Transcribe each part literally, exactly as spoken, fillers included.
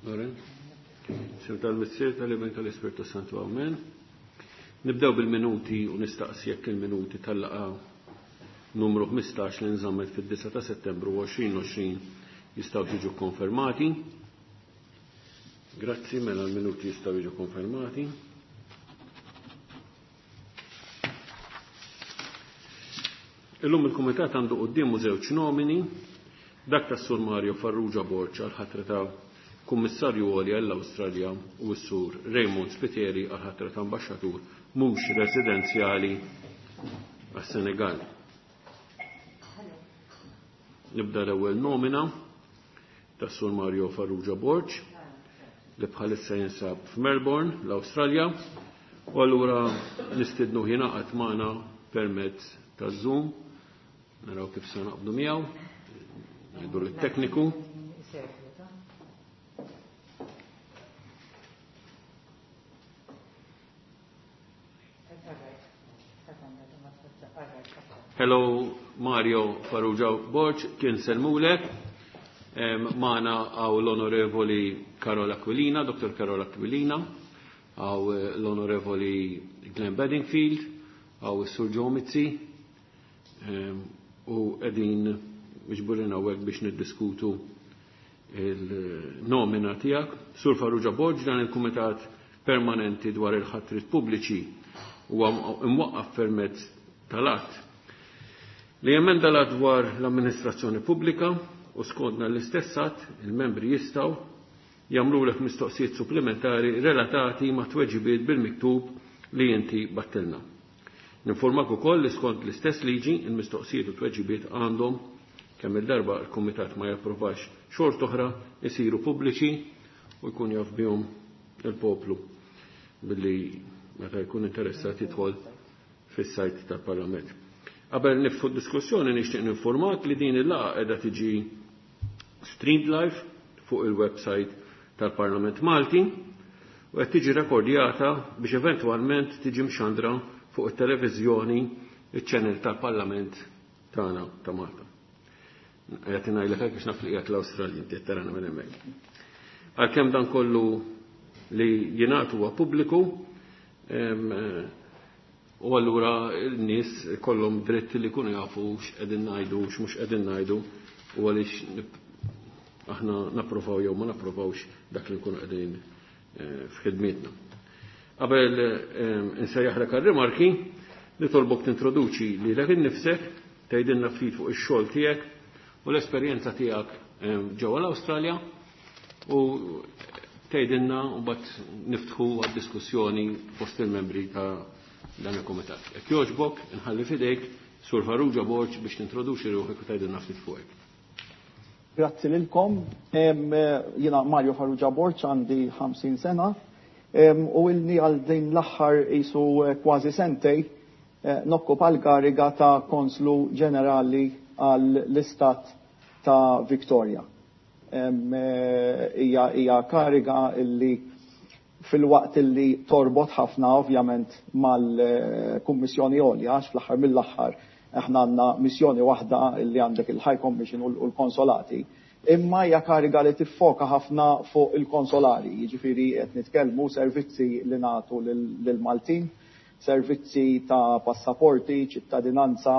Loren? Sim tal-Missier, tal-Iben, tal-Ispirtu Santu, amen. Nibdew bil-minuti u nistaqsi jekk il-minuti tal-laqgħa numru ħmistax li nżammet fid-disgħa ta' Settembru għoxrin għoxrin jistgħu jiġu konfermati. Grazzi, mela l-minuti jistgħu jiġu konfermati. Illum il-Kumitat għandu quddiemu żewġ nomini, dak tas-Sur Mario Farrugia Borg għal-ħatra ta' Kummissarju Għoli għall-Awstralja u s-Sur Raymond Spiteri għal-ħatra ta' Ambaxxatur mhux residenzjali għas-Senegal. Nibda l-ewwel nomina tas-Sur Mario Farrugia Borg li bħalissa jinsab f'Melbourne, l-Awstralja, u allura nistidnu jingħaqad magħna permezz ta' Zoom. Naraw kif se naqbdu miegħu, ngħidu lit-tekniku. Hello Mario Farrugia Borg, kien selmulek. Magħna għaw l-Onorevoli Karol Aquilina, Doktor Karol Aquilina, għaw l-Onorevoli Glenn Bedingfield, għaw is-Sur Joe Mizzi, u qegħdin miġburin hawnhekk biex niddiskutu il-nomina tiegħek. Sur Farrugia Borg, dan il-Kumitat Permanenti dwar il-ħatrit pubbliċi huwa imwaqqaf permezz tal-att li jemenda l-att dwar l-amministrazzjoni pubblika u skontna l-istess att il-membri jistgħu jagħmlulek mistoqsijiet supplementari relatati ma' tweġibiet bil-miktub li inti battilna. Ninformak ukoll li skont l-istess liġi il-mistoqsijiet u tweġibiet għandhom kemm il-darba l-Kumitat ma japprovax xort oħra isiru pubbliċi u jkun jaf bihom il-poplu billi meta jkun interessat jidħol fis-sajt tal-Parlament. Qabel niftħu d-diskussjoni nixtieq ninformak li din il-laqgħa qiegħda tiġi streamed live fuq il-website tal-Parlament Malti u qed tiġi rekordjata biex eventwalment tiġi mxandra fuq it-televiżjoni iċ-channel tal-Parlament tagħna ta' Malta. Qed ngħidlek hekk biex naf li qiegħed l-Awstralja inti qed tarana minn hemmhekk. Għalkemm dan kollu li jingħad huwa pubbliku, u allura n-nies kollhom dritt li jkunu jafu x'qegħdin ngħidu u x'mhux qegħdin ngħidu u għaliex aħna napprovaw jew ma napprovawx dak li nkunu qegħdin f'ħidmietna. Qabel insejjaħlek għar-rimarki, nitolbok tintroduċi lilek innifsek, tgħidilna ftit fuq ix-xogħol tiegħek u l-esperjenza tiegħek ġewwa l-Awstralja u tgħidilna u mbagħad niftħu għad-diskussjoni fost il-membri ta' dan il-kumitat. Jekk jogħġbok, inħalli f'idejk Sur Farrugia Borg biex tintroduċi ruħek u tgħidilna ftit fuqek. Grazzi lilkom. Jiena Mario Farrugia Borg, għandi ħamsin sena u ilni għal din l-aħħar qisu kważi sentej nokkupa l-kariga ta' Konslu Ġenerali għall-Istat ta' Victoria. Hija, hija kariga illi fil-waqt illi torbot ħafna ovvjament mal-Kummissjoni Għolja, għax fl-aħħar mill-aħħar aħna għandna missjoni waħda illi għandek il-High Commission u l-konsolati, imma hija kariga li tiffoka ħafna fuq il-konsolari, jiġifieri qed nitkellmu servizzi li nagħtu lill-Maltin, servizzi ta' passaporti, ċittadinanza,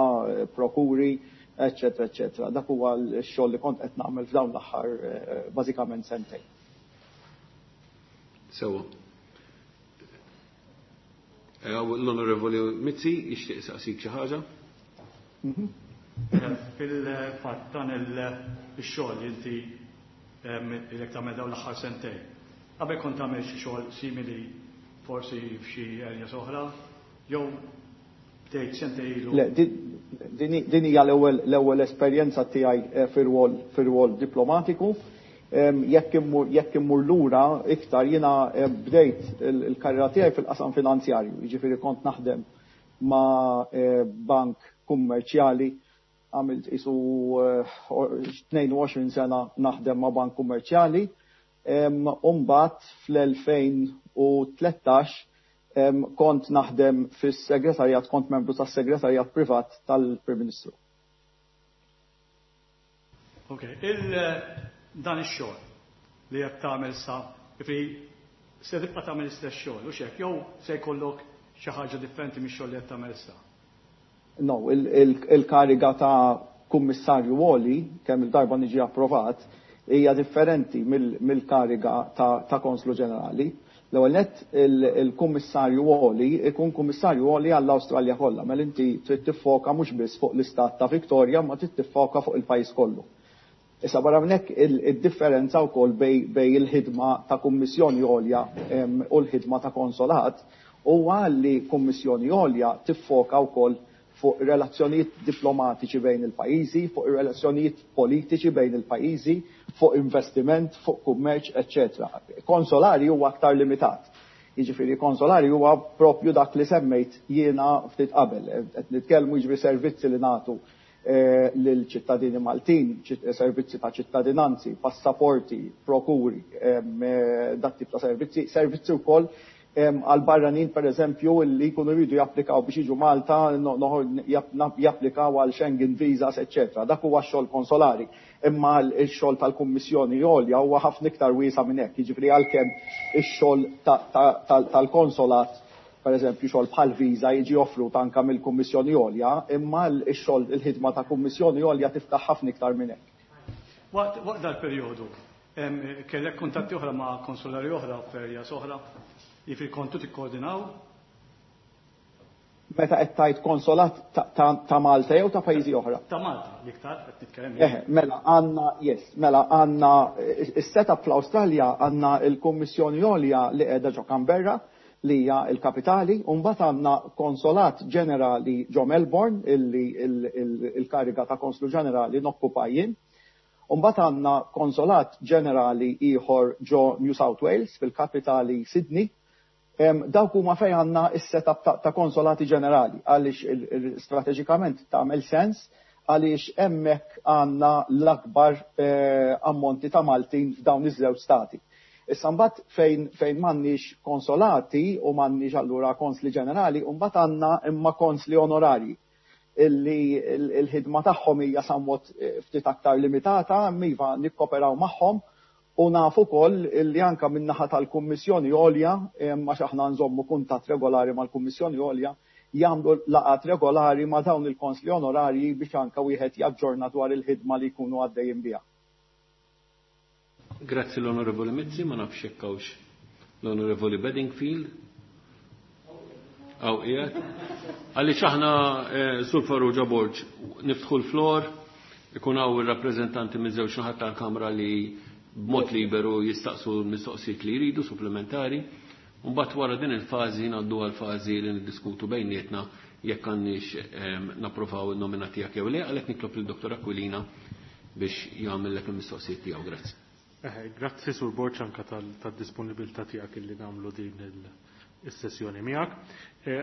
prokuri, eccetera, eccetera. Dak huwa x-xogħol li kont qed nagħmel f'dawn l-aħħar bażikament sentejn. Sewa. L-Onorevoli Mizzi jixtieq saqsik xi ħaġa? Fil-fatt dan il-xogħol li inti ilek tagħmel dawn l-aħħar sentejn. Qabel kont tagħmel xi xogħol simili forsi f'xi areas oħra, jew bdejt sentejn ilu? Le, din hija l-ewwel, l-ewwel esperjenza tiegħi fir-rwol, fir-rwol diplomatiku. Jekk immur, jekk immur lura iktar jiena bdejt il-karriera tiegħi fil-qasam finanzjarju, jiġifieri kont naħdem ma' bank kummerċjali, għamilt isu tnejn u għoxrin sena naħdem ma' bank kummerċjali, u mbagħad fl-elfejn u tlettax kont naħdem fis-segretarjat, kont membru tas-segretarjat privat tal-Prim Ministru. Ok, il dan ix-xogħol li qed tagħmel sa, jiġifieri se tibqa' tagħmel l-istess xogħol u x'hekk, jew se jkollok xi ħaġa differenti mix-xogħol li qed tagħmel issa? No, il-kariga ta' kummissarju għoli, kemm il-darba niġi approvat, hija differenti mill-kariga ta' konslu ġenerali. L-ewwel nett il-kummissarju għoli ikun kummissarju għoli għall-Awstralja kollha, mela inti trid tiffoka mhux biss fuq l-istat ta' Victoria, ma trid tiffoka fuq il-pajjiż kollu. Issa barra minn hekk id-differenza wkoll bej il-ħidma ta' kummissjoni għolja u l-ħidma ta' konsolat huwa li kummissjoni għolja tiffoka wkoll fuq relazzjonijiet diplomatiċi bejn il-pajjiżi, fuq relazzjonijiet politiċi bejn il-pajjiżi, fuq investiment, fuq kummerċ, eċċetera. Konsolari huwa aktar limitat. Jiġifieri konsolari huwa propju dak li semmejt jiena ftit qabel. Qed nitkellmu jiġifieri servizzi li nagħtu lil ċittadini Maltin, servizzi ta' ċittadinanzi, passaporti, prokuri, dak tip ta' servizzi, servizzi wkoll għal barranin per eżempju li jkunu jridu japplikaw biex jiġu Malta, japplikaw għal Schengen visas, eċċetera. Dak huwa x-xogħol konsolari. Imma x-xogħol tal-Kummissjoni Għolja huwa ħafna iktar wiesa' minn hekk. Jiġifieri għalkemm ix-xogħol tal-konsolat, per eżempju xogħol bħal viża jiġi offrut anke mill-Kummissjoni Għolja, imma x-xogħol il-ħidma ta' Kummissjoni Għolja tiftaħ ħafna iktar minn hekk. Waqt dal-perjodu, kellek kuntatti oħra ma' konsolari oħra f'areas oħra? Jiġifieri kontu tikkoordinaw? Meta qed tgħid konsolat ta' Malta jew ta' pajjiżi oħra? Ta' Malta, l-iktar qed nitkellem. Eh, mela għandna, yes, mela għandna is-setup fl-Awstralja għandna l-Kummissjoni Għolja li qiegħda ġo Canberra li hija l-kapitali, u mbagħad għandna konsolat ġenerali ġo Melbourne illi il-kariga ta' konslu ġenerali nokkupa jien. U mbagħad għandna konsolat ġenerali ieħor ġo New South Wales fil-kapitali Sydney. Dawk huma fejn għandna is-setup ta' konsolati ġenerali, għaliex strateġikament tagħmel sens, għaliex hemmhekk għandna l-akbar ammonti ta' Maltin f'dawn iż-żewġ stati. Issa mbagħad fejn fejn m'għandniex konsolati u m'għandniex allura konsli ġenerali, u mbagħad għandna imma konsli onorarji illi l-ħidma tagħhom hija somewhat ftit aktar limitata, iva nikkoperaw magħhom. U nafu wkoll illi anka min-naħa tal-Kummissjoni Għolja, għax aħna nżommu kuntatt regolari mal-Kummissjoni Għolja, jagħmlu laqgħat regolari ma' dawn il-konsli onorarji biex anka wieħed jaġġorna dwar il-ħidma li jkunu għaddejjin biha. Grazzi l-Onorevoli Mizzi, ma nafx jekk hawnx l-Onorevoli Bedingfield. Aw qiegħed. Għaliex aħna Sur Farrugia Borg niftħu l-flor, ikun hawn ir-rappreżentanti miż-żewġ naħat tal-Kamra li b'mod liberu jistaqsu l-mistoqsijiet li jridu supplementari, u mbagħad wara din il-fażi ngħaddu għal fażi li niddiskutu bejnietna jekk għandniex napprovaw in-nomina tiegħek jew le, għalhekk nitlob lil Dottor Aquilina biex jagħmellek il-mistoqsijiet tiegħu. Grazzi. Grazzi Sur Borg anke tad-disponibilità tiegħek illi nagħmlu din is-sessjoni miegħek.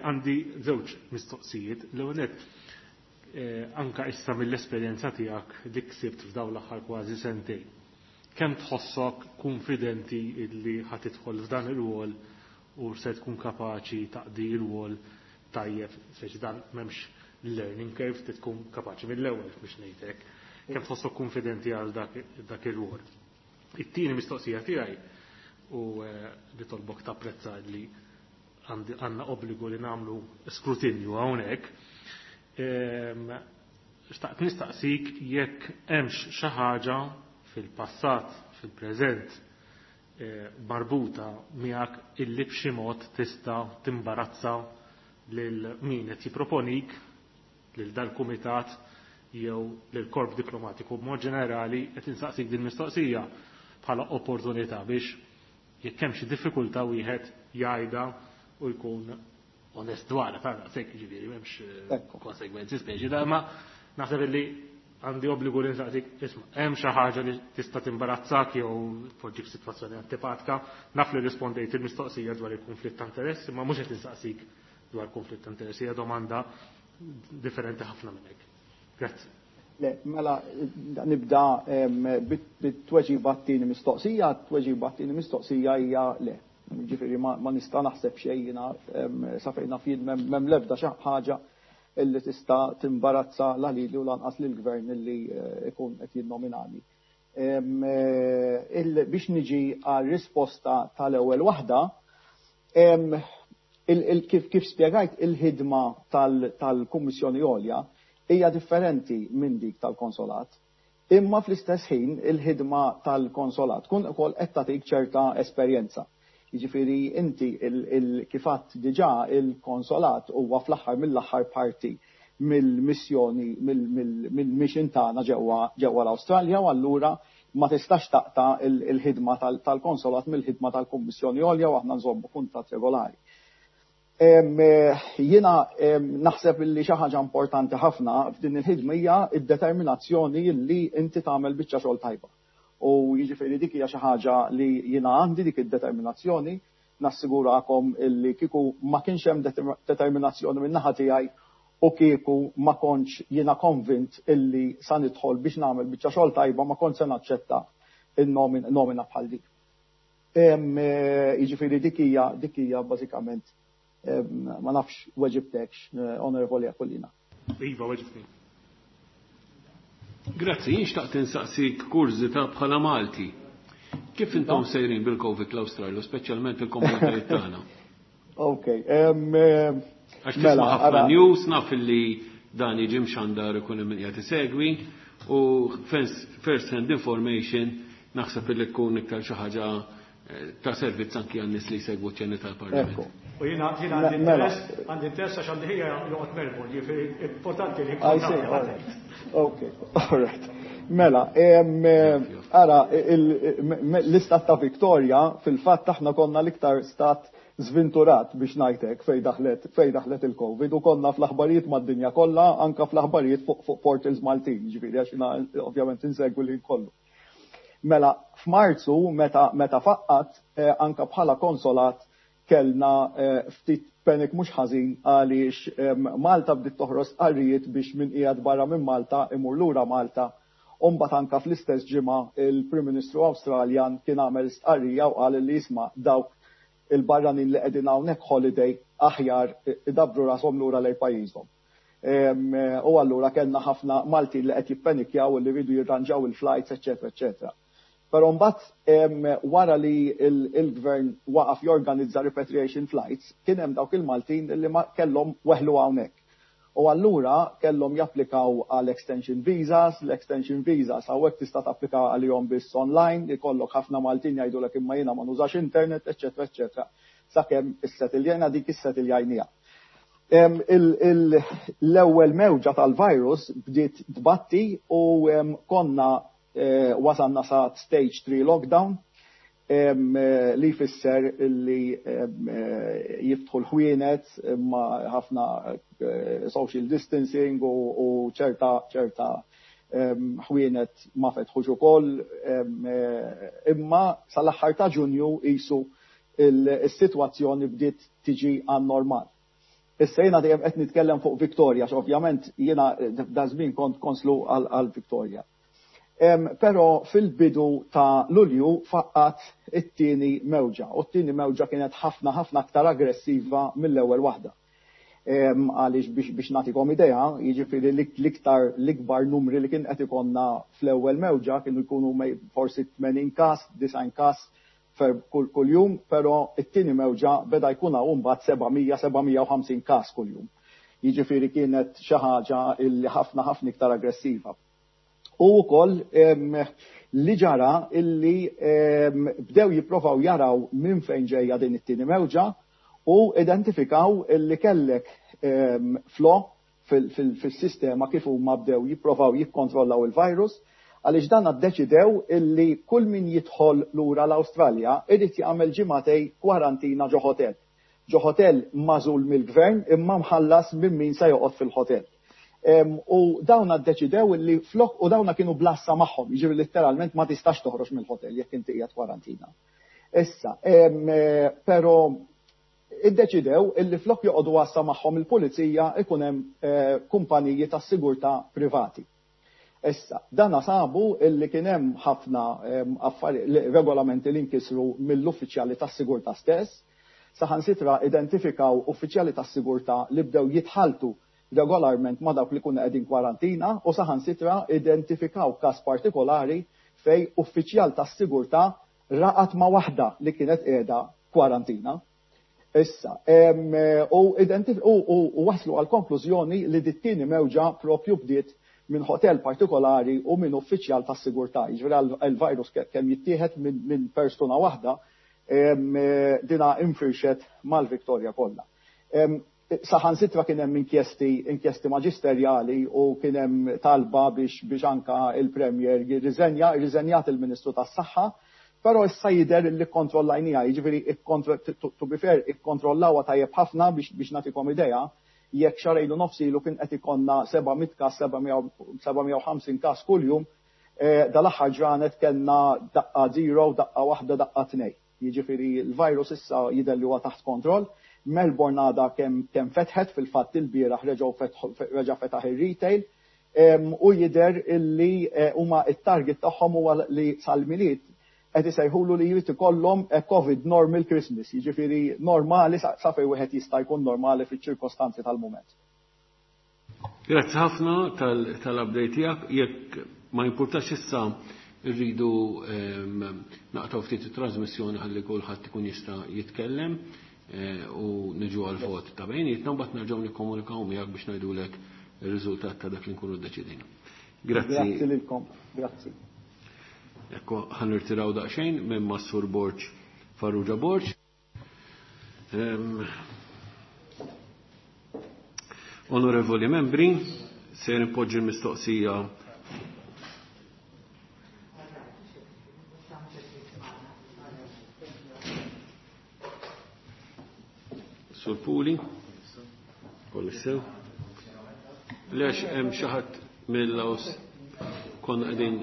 Għandi żewġ mistoqsijiet. L-ewwel nett, anke issa mill-esperjenza tiegħek li ksibt f'dawn l-aħħar kważi sentejn, kemm tħossok konfidenti illi ħa tidħol f'dan ir-rwol u se tkun kapaċi taqdi r-rwol tajjeb, speċi dan m'hemmx learning curve, trid tkun kapaċi mill-ewwel biex ngħidlek. Kemm tħossok konfidenti għal dak ir-rwol? It-tieni mistoqsija tiegħi u li tolbok tapprezza li għandna obbligu li nagħmlu skrutinju hawnhekk. Xtaqt nistaqsik jekk hemmx xi ħaġa fil-passat, fil-preżent, marbuta miegħek illi b'xi mod tista' timbarazza lil min qed jipproponik lil dal-kumitat jew lil korp diplomatiku b'mod ġenerali. Qed insaqsik din mistoqsija bħala opportunità biex jekk hemm xi diffikultà wieħed jgħidha u jkun onest dwarha, ta' daqshekk, jiġifieri m'hemmx konsegwenzi speċi da, ma naħseb illi għandi obbligu li nsaqsik, isma', hemm xi ħaġa li tista' timbarazzak jew tpoġġik f'sitwazzjoni antipatika. Naf li rispondejt il-mistoqsija dwar il-konflitt ta' interess, imma mhux qed insaqsik dwar konflitt ta' interess, hija domanda differenti ħafna minn hekk. Grazzi. Le, mela nibda bit-tweġiba t-tieni mistoqsija, t-tweġiba t-tieni mistoqsija hija le. Ġifieri ma nista' naħseb xejn jiena sa fejn naf jien m'hemm l-ebda xi ħaġa illi tista' timbarazza la lili u lanqas lill-gvern illi ikun qed jinnominani. Biex niġi għal risposta tal-ewwel waħda, kif spjegajt, il-ħidma tal-Kummissjoni Għolja hija differenti minn dik tal-konsolat. Imma fl-istess ħin il-ħidma tal-konsolat tkun ukoll qed tagħtik ċerta esperjenza. Jiġifieri inti kif għedt diġà, il-konsolat huwa fl-aħħar mill-aħħar parti mill-missjoni, mill-mission tagħna ġewwa ġewwa l-Awstralja, u allura ma tistax taqta' il-ħidma tal-konsolat mill-ħidma tal-Kummissjoni Għolja, u aħna nżommu kuntatt regolari. Jiena naħseb li xi ħaġa importanti ħafna f'din il-ħidma hija d-determinazzjoni li inti tagħmel biċċa xogħol tajba. U jiġifieri dik hija xi ħaġa li jiena għandi dik id-determinazzjoni. Nassigurakom illi kieku ma kienx hemm determinazzjoni minn naħa tiegħi u kieku ma kontx jiena konvint illi sa nidħol biex nagħmel biċċa xogħol tajba, ma kont se naċċetta il-nomina bħal dik. Jiġifieri dik hija dik hija bażikament. Ma nafx weġibtekx, Onorevoli Aquilina. Iva, weġibtni. Grazzi, jien xtaqt insaqsik kurżità bħala Malti. Kif intom sejrin bil-Covid l-Awstralja, speċjalment il-komunitajiet tagħna? Ok. Għax tisma' ħafna news, naf li dan jiġi mxandar, ikun hemm qiegħed isegwi, u first hand information naħseb li tkun iktar xi ħaġa ta' servizz anki għan-nies li jsegwu ċ-ċeni tal-Parlament. U jiena jiena għandi interess, għandi interess għax għandi ħija joqgħod Melbourne, jiġifieri importanti li I see, all right. Ok, all right. Mela, ara, l-istat ta' Victoria, fil-fatt aħna konna l-iktar stat zventurat, biex ngħidlek, fej daħlet fej daħlet il-Covid u konna fl-aħbarijiet mad-dinja kollha, anka fl-aħbarijiet fuq portals Maltin, ġifieri għax jiena ovvjament insegwi li kollu. Mela, f'Marzu meta meta faqqat, eh, anka bħala konsolat kellna eh, ftit panic mhux ħażin, għaliex Malta bdiet toħroġ stqarrijiet biex min qiegħed barra minn Malta imur lura Malta. U mbagħad anka fl-istess ġimgħa il-Prim Ministru Awstraljan kien għamel stqarrija u qal li jisma', dawk il-barranin li qegħdin hawnhekk holiday aħjar idabbru rashom lura lejn pajjiżhom. U allura kellna ħafna Maltin li qed jippenikjaw li rridu jirranġaw il-flights, eċetera, eċetera. Però mbagħad, wara li il-gvern waqaf jorganizza repatriation flights, kien hemm dawk il-Maltin li ma kellhom weħlu hawnhekk. U allura kellhom japplikaw għal extension visas. L-extension visas hawnhekk tista' tapplika għalihom biss online, ikollok ħafna Maltin jgħidulek imma jiena ma nużax internet, eċetera, eċetera. Sakemm issettiljajna dik, issettiljajnieha. L-ewwel mewġa tal-virus bdiet tbatti u konna eh, wasalna sa stage three lockdown, eh, li jfisser li eh, jiftħu l-ħwienet ma ħafna social distancing u ċerta ċerta ħwienet ma fetħux ukoll, imma sal-aħħar ta' Ġunju qisu il-sitwazzjoni bdiet tiġi għan normal. Issa jiena dejjem qed nitkellem fuq Victoria, ovvjament jiena da żmien kont konslu għal Victoria. Però fil-bidu ta' Lulju faqqat it-tieni mewġa, u t-tieni mewġa kienet ħafna ħafna aktar aggressiva mill-ewwel waħda. Għaliex biex biex nagħtikom idea, jiġifieri l-iktar l-ikbar numri li kien qed ikollna fl-ewwel mewġa kienu jkunu forsi tmenin każ, disgħin każ kull kull jum, però it-tieni mewġa beda jkun hawn mbagħad seba' mija, seba' mija u ħamsin każ kuljum. Jiġifieri kienet xi ħaġa illi ħafna ħafna iktar aggressiva. U wkoll li ġara illi bdew jipprovaw jaraw minn fejn ġejja din it-tieni mewġa u identifikaw illi kellek flaw fil-sistema kif huma bdew jipprovaw jikkontrollaw il-virus, għaliex dan ddeċidew illi kull min jidħol lura l-Awstralja irid jagħmel ġimagħtejn kwarantina ġo hotel. Ġo hotel magħżul mill-gvern imma mħallas minn min se joqgħod fil-hotel. U dawna ddeċidew li flok, u dawna kienu bl-għassa magħhom, jiġifieri letteralment ma tistax toħroġ mill-hotel jekk inti qiegħed kwarantina. Issa, però iddeċidew illi flok joqogħdu għassa magħhom il-pulizija, ikun hemm eh, kumpaniji ta' sigurtà privati. Issa, dana sabu illi kien hemm ħafna regolamenti li nkisru mill-uffiċjali tas-sigurtà stess, saħansitra identifikaw uffiċjali tas-sigurtà li bdew jitħaltu regolarment ma dawk li kunu qegħdin kwarantina, u saħansitra identifikaw każ partikolari fejn uffiċjal tas-sigurtà raqat ma' waħda li kienet qiegħda kwarantina. Issa, u, u, u waslu għal konklużjoni li dit-tieni mewġa propju bdiet minn hotel partikolari u minn uffiċjal tas-sigurtà. Jiġifieri il-virus kemm jittieħed minn min persuna waħda, dina infirxet mal-Victoria kollha. Saħansitra kien hemm inkjesti inkjesti maġisterjali u kien hemm talba biex biex anka il-Premier jirriżenja, irriżenjat il-Ministru tas-Saħħa, però issa jidher li kkontrollajniha, jiġifieri to be fair ikkontrollawha tajjeb ħafna biex biex nagħtikom idea, jekk xahrejn u nofs ilu kien qed ikollna seba' mitt każ, seba' mija u ħamsin każ kuljum, dal-aħħar ġranet kellna daqqa zero, daqqa waħda, daqqa tnej. Jiġifieri l-virus issa jidher li huwa taħt kontroll. Melbourne għadha kemm kemm fetħet, fil-fatt il-bieraħ reġgħu reġa' fetaħ ir-retail, u jidher illi huma it-target tagħhom huwa li sal-Milied qed isejħulu li jrid ikollhom COVID normal Christmas, jiġifieri normali sa fejn wieħed jista' jkun normali fiċ-ċirkostanzi tal-mument. Grazzi ħafna tal-update tiegħek. Jekk ma jimpurtax issa rridu naqtgħu ftit it-trasmissjoni ħalli kulħadd ikun jista' jitkellem u niġu għal vot ta' bejnietna, mbagħad nerġgħu nikkomunikaw miegħek biex ngħidulek ir-riżultat ta' dak li nkunu ddeċidejna. Grazzi. Grazzi lilkom. Grazzi. Ekku, ħa nirtiraw daqsxejn minn Massur Borg Farrugia Borg. Um, onorevoli membri, se nipoġġi l-mistoqsija Sur Puli, kollox sew. Lex hemm xi ħadd mill-Laos konna qegħdin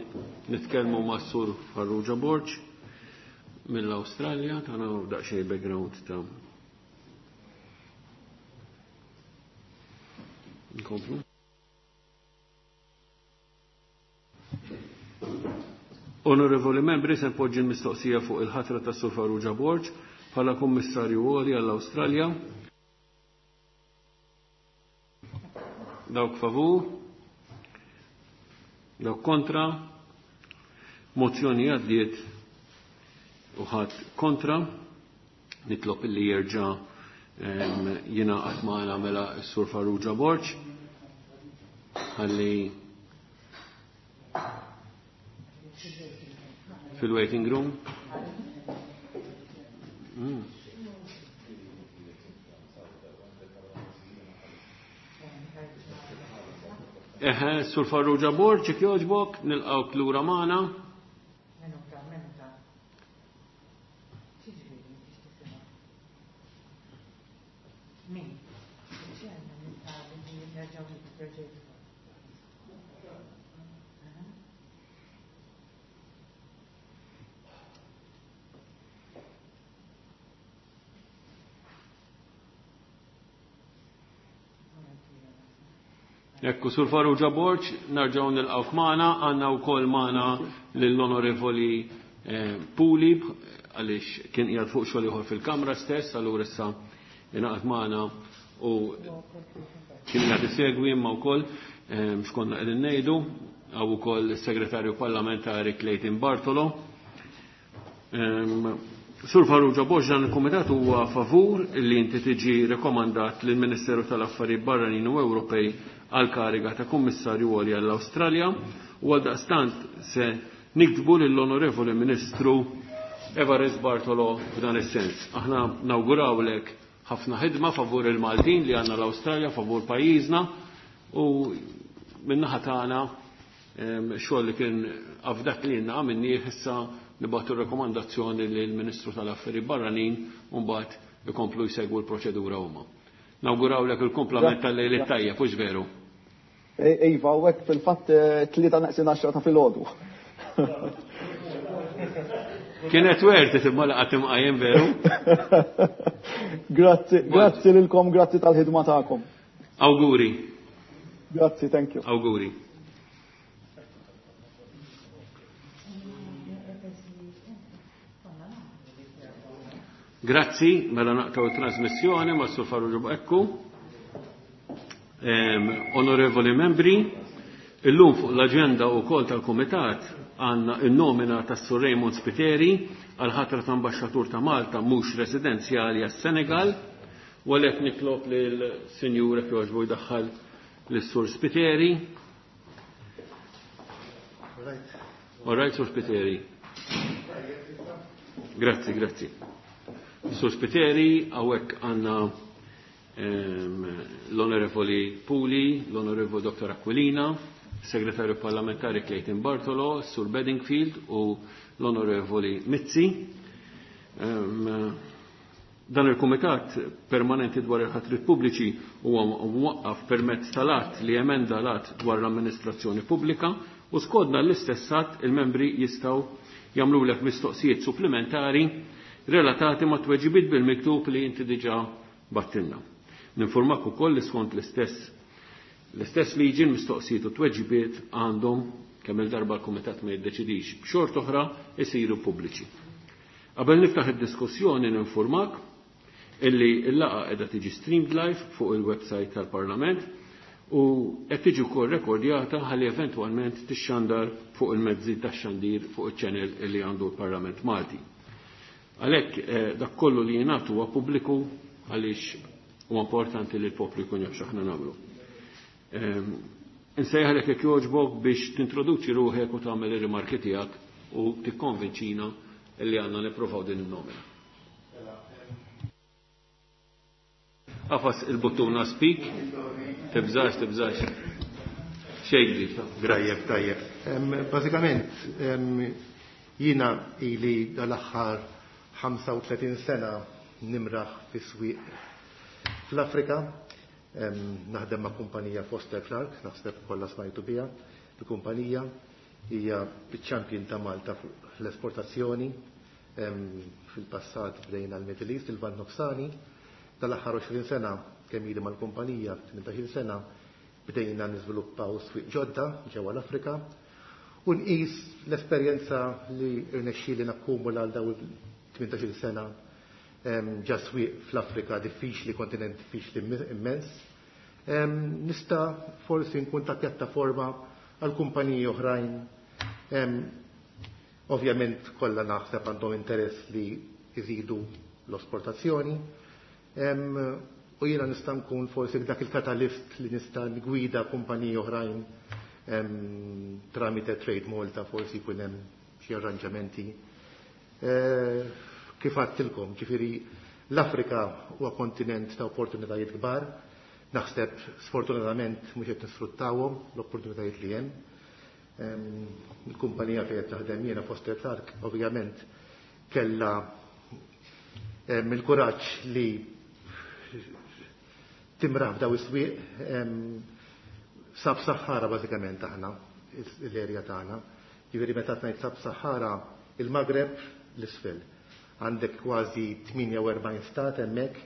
nitkellmu ma' Sur Farrugia Borg mill-Awstralja, tagħna daqsxejn background ta' nkomplu. Onorevoli membri, se npoġġi l-mistoqsija fuq il-ħatra ta' Sur Farrugia Borg bħala Kummissarju Għoli għall-Awstralja. Dawk favur, dawk kontra, mozzjoni għaddiet u ħadd kontra. Nitlob illi jerġa' jingħaqad magħna mela s-Sur Farrugia Borg ħalli fil-waiting room. Mm. Eħe, Sur Farrugia Borg, jekk jogħġbok, nilqgħuk lura magħna. Ekku, Sur Farrugia Borg, narġgħu nilqgħuk magħna, għandna wkoll magħna lill-Onorevoli Puli, għaliex kien qiegħed fuq xogħol ieħor fil-Kamra stess, allura issa ingħaqad magħna u kien qiegħed isegwi imma wkoll x'konna qegħdin ngħidu, hawn ukoll is-Segretarju Parlamentari Clayton Bartolo. Sur Farrugia Borg, dan il-Kumitat huwa favur li inti tiġi rekomandat lill-Ministeru tal-Affarijiet Barranin u Ewropej għal kariga ta' Kummissarju Għoli għall-Awstralja, u għal daqstant se niktbu lill-Onorevoli Ministru Evarist Bartolo f'dan is-sens. Aħna nawgurawlek ħafna ħidma favur il-Maltin li għandna l-Awstralja, favur pajjiżna, u min-naħa tagħna xogħol li kien afdak lilna għamilnieh, issa nibgħatu rekomandazzjoni lill-Ministru tal-Affarijiet Barranin u mbagħad ikomplu jsegwu l-proċedura huma. Nawgurawlek il-kumplament tal-lejl it-tajjeb, hux veru? Iva, u hekk fil-fatt tlieta naqsin għaxra ta' filgħodu. Kienet werti imma laqgħet imqajjem veru. Grazzi, grazzi lilkom, grazzi tal-ħidma tagħkom. Awguri. Grazzi, thank you. Awguri. Grazzi, mela naqtaw it-trasmissjoni ma' Sur Farrugia Ekku. Onorevoli membri, Illum fuq l-aġenda wkoll tal-Kumitat għandna n-nomina tas-Sur Raymond Spiteri għal ħatra ta' ambaxxatur ta' Malta mhux residenzjali għas-Senegal, u għalhekk nitlob lill-Sinjur jekk jogħġbu jdaħħal lis-Sur Spiteri. All right, Sur Spiteri. Grazzi, grazzi. Sur Spiteri, hawnhekk għandna l-Onorevoli Puli, l-Onorevoli Dottor Aquilina, Segretarju Parlamentari Clayton Bartolo, Sur Bedingfield u l-Onorevoli Mizzi. Dan il-Kumitat Permanenti dwar il-ħatrit pubbliċi huwa mwaqqaf permezz tal-att li emenda l-att dwar l-amministrazzjoni pubblika u skodna l-istess att il-membri jistgħu jagħmlulek mistoqsijiet supplementari relatati ma' tweġibiet bil-miktub li inti diġà battilna. Ninformak ukoll li skont l-istess l-istess liġi l-mistoqsijiet u tweġibiet għandhom kemm il-darba l-Kumitat ma jiddeċidix b'xort oħra isiru pubbliċi. Qabel niftaħ id-diskussjoni ninformak illi l-laqgħa qiegħda tiġi streamed live fuq il-website tal-Parlament u qed tiġi wkoll rekordjata ħalli eventwalment tixxandar fuq il-mezzi tax-xandir fuq iċ-channel li għandu l-Parlament Malti. Għalhekk dak kollu li jingħatu huwa pubbliku għaliex huwa importanti li l-poplu jkun jaf x'aħna nagħmlu. Insejħalek jekk jogħġbok biex tintroduċi ruħek u tagħmel ir-rimarki tiegħek u tikkonvinċina li għandna nippruvaw din in-nomina. Għafas il-buttuna speak, tibżax, tibżax. Xejn ġdid. Tajjeb, tajjeb. Bażikament, jiena ili dal-aħħar ħamsa u tletin sena nimraħ fis-swieq fl-Afrika. Naħdem ma' kumpanija Foster Clark, naħseb kollha smajtu biha. Il-kumpanija hija ċ-champion ta' Malta fuq l-esportazzjoni. Fil-passat bdejna l-Middle East, il-Lvant Nofsani. Tal-aħħar għoxrin sena kemm ili mal-kumpanija, tmintax-il sena, bdejna niżviluppaw swieq ġodda ġewwa l-Afrika u nqis l-esperjenza li rnexxieli nakkumula għal dawn tmintax-il sena ġa swieq fl-Afrika diffiċli, kontinent diffiċli immens. Nista' forsi nkun ta' pjattaforma għal kumpaniji oħrajn. Ovvjament kollha naħseb għandhom interess li jżidu l-esportazzjoni. U jiena nista' nkun forsi dak il-katalist li nista' ngwida kumpaniji oħrajn tramite Trade Malta, forsi jkun hemm xi arranġamenti. Kif għadtilkom, ġifieri l-Afrika huwa kontinent ta' opportunitajiet kbar, naħseb sfortunatament mhux qed nisfruttawhom l-opportunitajiet li hemm. Il-kumpanija fejn qed taħdem jiena Foster Clark ovvjament kellha il-kuraġġ li timraħ f'daw is-swieq sab-Sahara bażikament aħna l-erja tagħna. Ġifieri meta ngħid sab-Sahara il-Maghreb l-isfel. Għandek kważi tmienja u erbgħin stat hemmhekk.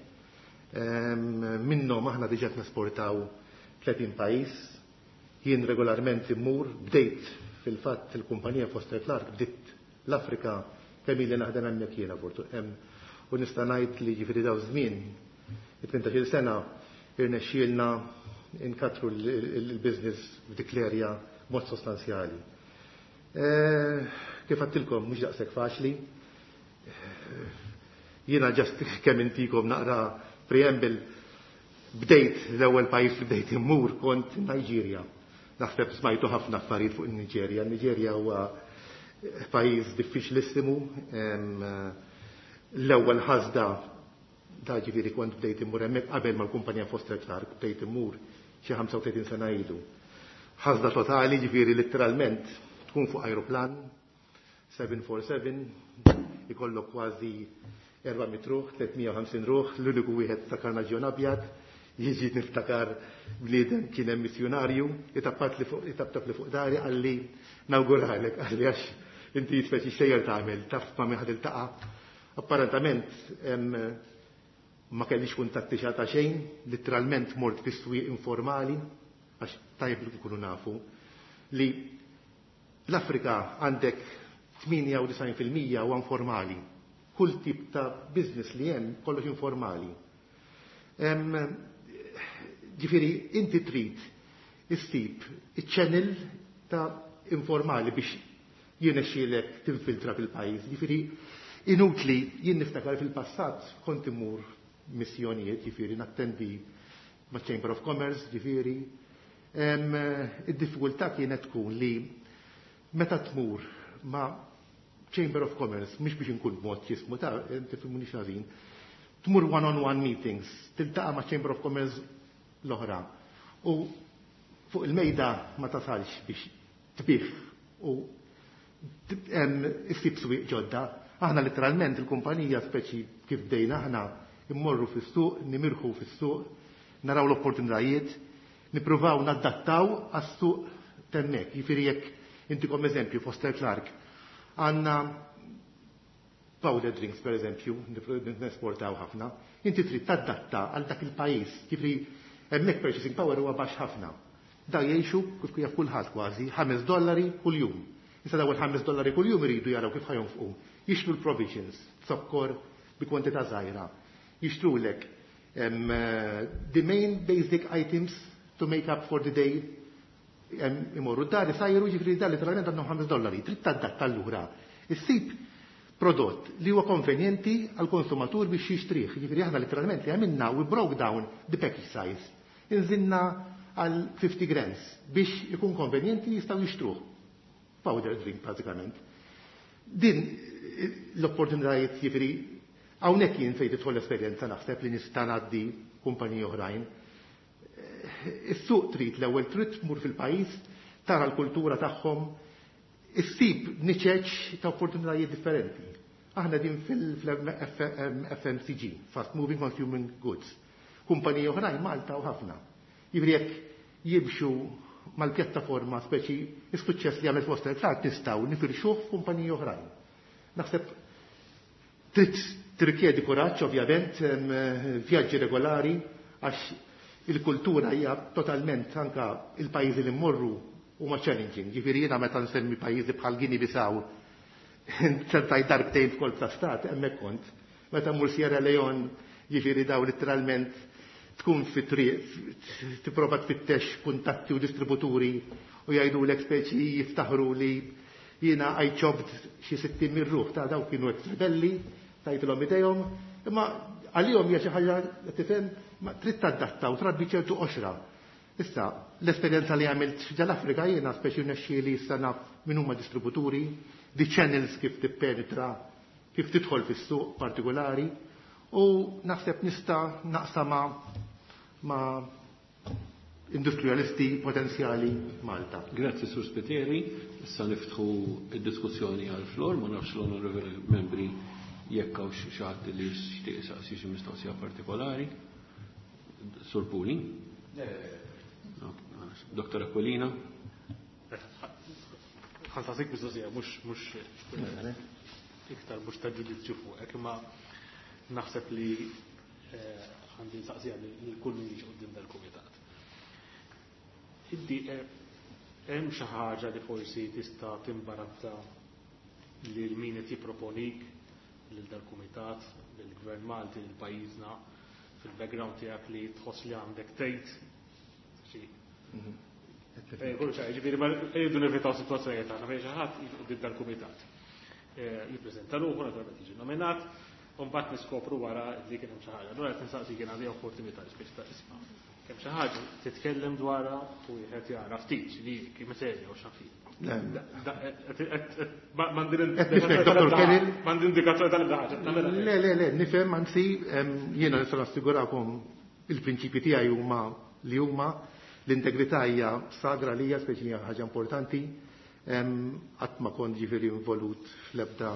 Minnhom aħna diġà nesportaw tletin pajjiż. Jien regolarment immur, bdejt fil-fatt il-kumpanija Foster Clark bdiet l-Afrika kemm ili naħdem hemmhekk jiena u nista' ngħid li ġifieri daw żmien it-tmintax-il sena irnexxielna inkatru l-business f'dik l-erja b'mod sostanzjali. Kif għadtilkom mhux daqshekk faċli. Jiena ġast kemm intikom naqra preamble, bdejt l-ewwel pajjiż li bdejt immur kont Niġerja. Naħseb smajtu ħafna affarijiet fuq in-Niġerja. Niġerja huwa pajjiż diffiċlissimu. L-ewwel ħasda da ġifieri kont bdejt immur hemmhekk qabel mal-kumpanija Foster Clark, bdejt immur xi ħamsa u tletin sena ilu. Ħasda totali, ġifieri letteralment tkun fuq ajruplan seven four seven, ikollok kważi erba' mitt ruħ, tliet mija u ħamsin ruħ, l-uniku wieħed ta' karnaġjon abjad, jiġi niftakar bniedem kien hemm missjunarju, itappat li fuq, itaptap li fuq dari, qalli nawguralek, qalli għax inti speċi xejjer tagħmel, taf ma' min ħad iltaqa'. Apparentament ma kellix kuntatti xata xejn, literalment mort fis-swieq informali, għax tajjeb li nkunu nafu li l-Afrika għandek tmienja u disgħin fil-mija huwa informali. Kull tip ta' business li hemm kollox informali. Ġifieri inti trid issib iċ-channel ta' informali biex jirnexxielek tinfiltra fil-pajjiż. Jiġifieri inutli, jien niftakar fil-passat kont immur missjonijiet, jiġifieri nattendi ma' Chamber of Commerce, jiġifieri. Id-diffikultà kienet tkun li meta tmur ma' Chamber of Commerce, mhux biex inkun b'mod jismu ta' tifhimuni ħażin, tmur one-on-one meetings, tiltaqa' ma' Chamber of Commerce l-oħra. U fuq il-mejda ma tasalx biex tbigħ u issib swieq ġodda. Aħna literalment il-kumpanija, speċi kif bdejna aħna, immorru fis-suq, nimirħu fis-suq, naraw l-opportunitajiet, nippruvaw nadattaw għas-suq t'hemmhekk. Jiġifieri jekk intikom eżempju, Foster Clark, għandna powder drinks per eżempju, nesportaw ħafna, inti trid tadatta għal dak il-pajjiż, jiġifieri hemmhekk purchasing power huwa baxx ħafna. Da jgħixu kif jaf kulħadd kważi ħames dollari kuljum. Issa dawn il-ħames dollari kuljum iridu jaraw kif ħa jonfqu. Jixtru l-provisions, zokkor bi kwantità żgħira. Jixtrulek um, the main basic items to make up for the day, um, imorru d-dar isajru, ġifieri dar literalment għandhom ħames dollari. Trid tadatta allura. Issib prodott li huwa konvenjenti għal konsumatur biex jixtrih. Ġifieri aħna literalment li għamilna, we broke down the package size. Inżilna għal fifty grams biex ikun konvenjenti jistgħu jixtruh. Powder drink pratikament. Din l-opportunitajiet, jiġifieri hawnhekk jien fejn tidħol l-esperjenza naħseb li nista' ngħaddi kumpaniji oħrajn. Is-suq trid l-ewwel trid tmur fil-pajjiż, tara l-kultura tagħhom, issib niċeċ ta' opportunitajiet differenti. Aħna din fil-F M C G, Fast Moving Consumer Goods. Kumpaniji oħrajn Malta u ħafna. Jiġifieri jekk jimxu mal-pjattaforma, speċi is-suċċess li għamel Foster Clark nistgħu nifirxuh f'kumpaniji oħrajn. Naħseb trid tirrikjedi kuraġġ ovvjament, vjaġġi regolari, għax il-kultura hija totalment, anka il-pajjiżi li mmorru huma challenging. Ġifieri jiena meta nsemmi pajjiżi bħal Guinea Bissau, ċertaj darbtejn f'kolp ta' stat, hemmhekk kont. Meta mmur Sierra Leone, jiġifieri daw literalment tkun fi triq, tipprova tfittex kuntatti u distributuri u jgħidulek, speċi jiftaħru li jiena I chopped xi sittin minn ruħ ta' daw kienu ex-rebelli, tajtilhom idejhom, imma għalihom hija xi ħaġa, tifhem, ma trid tadatta u trabbi ċertu qoxra. Issa, l-esperjenza li għamilt ġal-Afrika jiena speċi nexxieli issa naf min huma distributuri, di channels kif tippenetra, kif tidħol fis-suq partikolari, u naħseb nista' naqsama ma' industrialisti potenzjali Malta. Grazzi, Sur Spiteri. Issa niftħu id-diskussjoni għal-flor, ma nafx l-onorevoli membri jekk hawnx xi ħadd li jixtieq isaqsi xi mistoqsija partikolari. Sur Puli? Dottor Aquilina? Ħa nsaqsik mistoqsija, mhux mhux iktar mhux ta' ġudizzju fuqek, imma naħseb li eh, għandi nsaqsija li kull min jiġi quddiem dal-kumitat. Inti eh, hemm xi ħaġa li forsi tista' timbarazza lil min qed jipproponik lil dal-kumitat, lill-Gvern Malti, lil pajjiżna, fil-background tiegħek li tħoss li għandek tgħid xi Eh, Kollu ċar, ġifieri ma rridu nevitaw situazzjonijiet tagħna fejn xi ħadd jiġi quddiem dal-kumitat. Eh, Jippreżenta ruħu, naturalment jiġi nominat, u mbagħad niskopru wara li kien hemm xi ħaġa. Allura qed nistaqsi kien għandi opportunità li speċi ta' isma'. Kemm xi ħaġa titkellem dwarha u wieħed jara ftit li kien serja u x'naf. Nifhem, Dottor Kelly. M'għandi indikazzjoni tal-ebda ħaġa. Le, le, le, nifhem, anzi, em, jiena nista' nassigurakom il-prinċipji tiegħi huma li huma l-integrità hija sagra lija, speċi hija ħaġa importanti. Em, Qatt ma kont ġifieri involut fl-ebda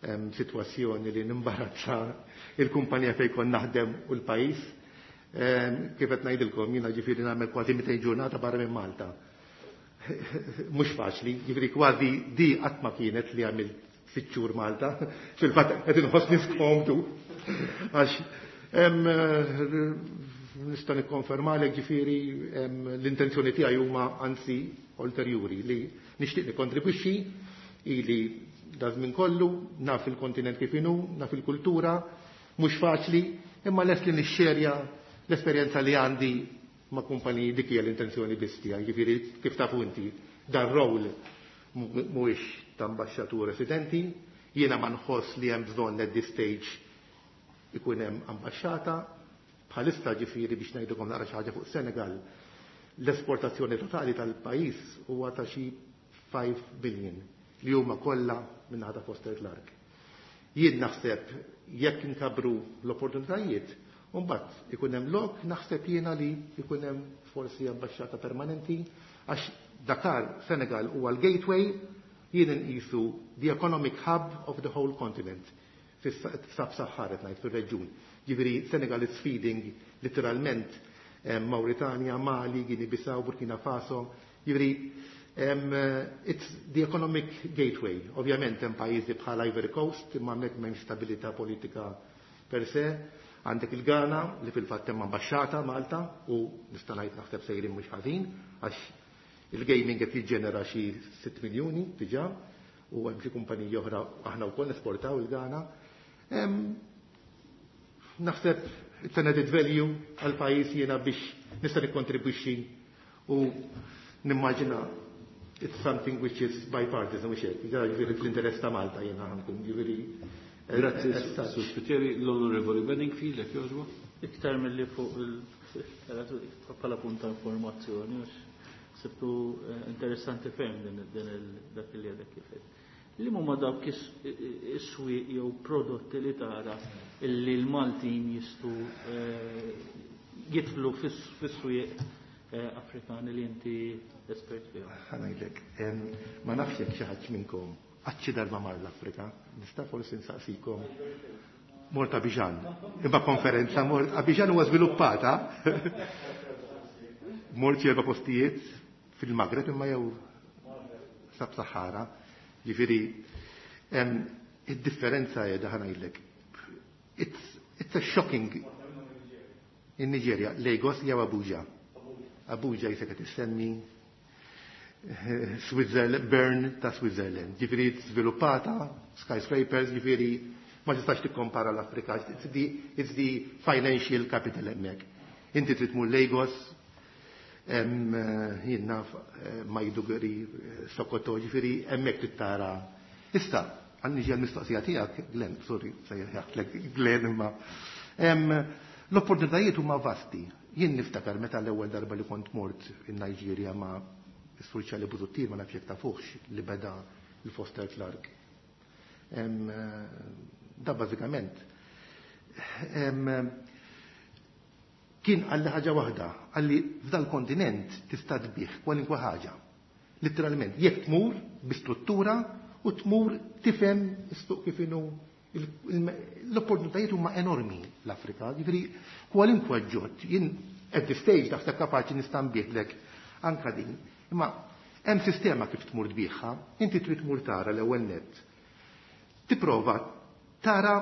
em, sitwazzjoni li nimbarazza il-kumpanija fejn kont naħdem u l-pajjiż. Em, Kif qed ngħidilkom, jiena ġifieri nagħmel kważi mitejn ġurnata barra minn Malta. Mhux faċli, ġifieri kważi di qatt ma kienet li għamilt sitt xhur Malta, fil-fatt qed inħossni skomdu. Għax em, nista' nikkonfermalek ġifieri em, l-intenzjoni tiegħi huma anzi ulterjuri li nixtieq nikkontribwixxi ili da żmien kollu, naf il-kontinent kif inhu, naf il-kultura, mhux faċli, imma lest li nixxerja l-esperjenza li għandi ma' kumpaniji, dik hija l-intenzjoni biss tiegħi, jiġifieri kif tafu inti dan role mhuwiex ta' ambaxxatur residenti, jiena ma nħoss li hemm bżonn at this stage ikun hemm ambaxxata. Bħalissa, ġifieri, biex ngħidilkom naqra xi ħaġa fuq Senegal, l-esportazzjoni totali tal-pajjiż huwa ta' xi five billion li huma kollha minn ta' Foster Clark. Jien naħseb jekk inkabru l-opportunitajiet, mbagħad ikun hemm lok, naħseb jiena, li ikun hemm forsi ambaxxata permanenti, għax Dakar, Senegal huwa l-gateway, jien nqisu the economic hub of the whole continent fis-Sub-Sahara, ngħid fir-reġjun. Ġifieri Senegal is feeding literalment eh, Mauritania, Mali, Guinea-Bissau, Burkina Faso. Ġifieri um, it's the economic gateway. Ovvjament hemm pajjiżi bħal Ivory Coast, imma hemmhekk m'hemmx stabilità politika per se. Għandek il-Ghana li fil-fatt hemm ambaxxata Malta u nista' ngħid naħseb sejrin mhux ħażin, għax il-gaming qed jiġġenera xi sitt miljuni diġà u hemm xi kumpaniji oħra, aħna wkoll nesportaw il-Ghana. Naħseb it's an added value għal pajjiż jiena biex nista' nikkontribwixxi u nimmaġina it's something which is bipartisan, mhux hekk, ġifieri fl-interess ta' Malta jiena ħa nkun, ġifieri. Grazzi, Sur Spiteri. L-Onorevoli Bedingfield, jekk jogħġbu. Iktar mill-li fuq il bħala punta informazzjoni, sibtu eh, interessanti ferm din dak li għadek kif. Li huma dawk is-swieq jew prodotti li tara illi l-Maltin jistgħu eh, jidħlu fis-swieq eh, Afrikani li inti espert fihom? Ħa ngħidlek, ma nafx jekk xi ħadd minnkom qatt xi darba mar l-Afrika, nista' forsi nsaqsikom. Mort Abidjan. Imma konferenza mort Abidjan huwa żviluppata. Mort erba' postijiet fil-Maghreb imma jew Sub-Sahara. Ġifieri id-differenza hija, ħa ngħidlek. It's, it's a shocking in Nigeria, Lagos jew Abuja. Abuja jisek qed issemmi Switzerland, Bern ta' Switzerland. Ġifieri sviluppata, skyscrapers, ġifieri ma tistax tikkompara l-Afrika. It's the, it's the financial capital hemmhekk. Inti trid tmur Lagos, jien naf Maiduguri, Sokoto, ġifieri hemmhekk trid tara. Issa, għanni ġi għal-mistoqsija tiegħek, Glenn, sorry, sejjaħtlek Glenn imma. L-opportunitajiet huma vasti. Jien niftakar meta l-ewwel darba li kont mort in Nigeria ma' is-Sur Charlie Busuttil, ma nafx jekk tafuhx, li beda il-Foster Clark. Da bażikament kien qalli ħaġa waħda, qalli f'dal kontinent tista' tbigħ kwalinkwa ħaġa. Literalment, jekk tmur bi struttura u tmur tifhem is-suq kif inhu, l-opportunitajiet huma enormi l-Afrika, ġifieri kwalinkwa ġod, jien at this stage taħseb kapaċi nista' nbigħlek anka din. Imma hemm sistema kif tmur tbigħha, inti trid tmur tara l-ewwel net. Tipprova tara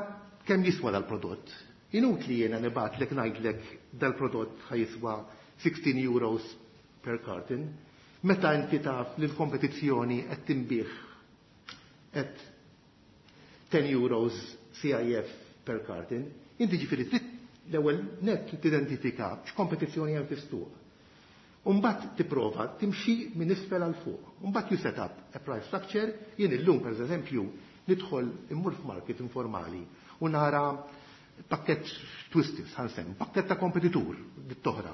kemm jiswa dal-prodott. Inutli jiena nibgħatlek ngħidlek dal-prodott ħa jiswa sixteen euros per carton, meta inti taf li l-kompetizzjoni qed tinbiegħ at ten euros C I F per carton, inti ġifieri trid l-ewwel net tidentifika x'kompetizzjoni hemm fis-suq. Umbat tipprova timxi minn isfel għal fuq. Umbat you set up a price structure. Jien illum, per eżempju, nidħol immur f'market informali u nara pakket Twisties, ħa nsemmi, pakket ta' kompetitur dit-toħra.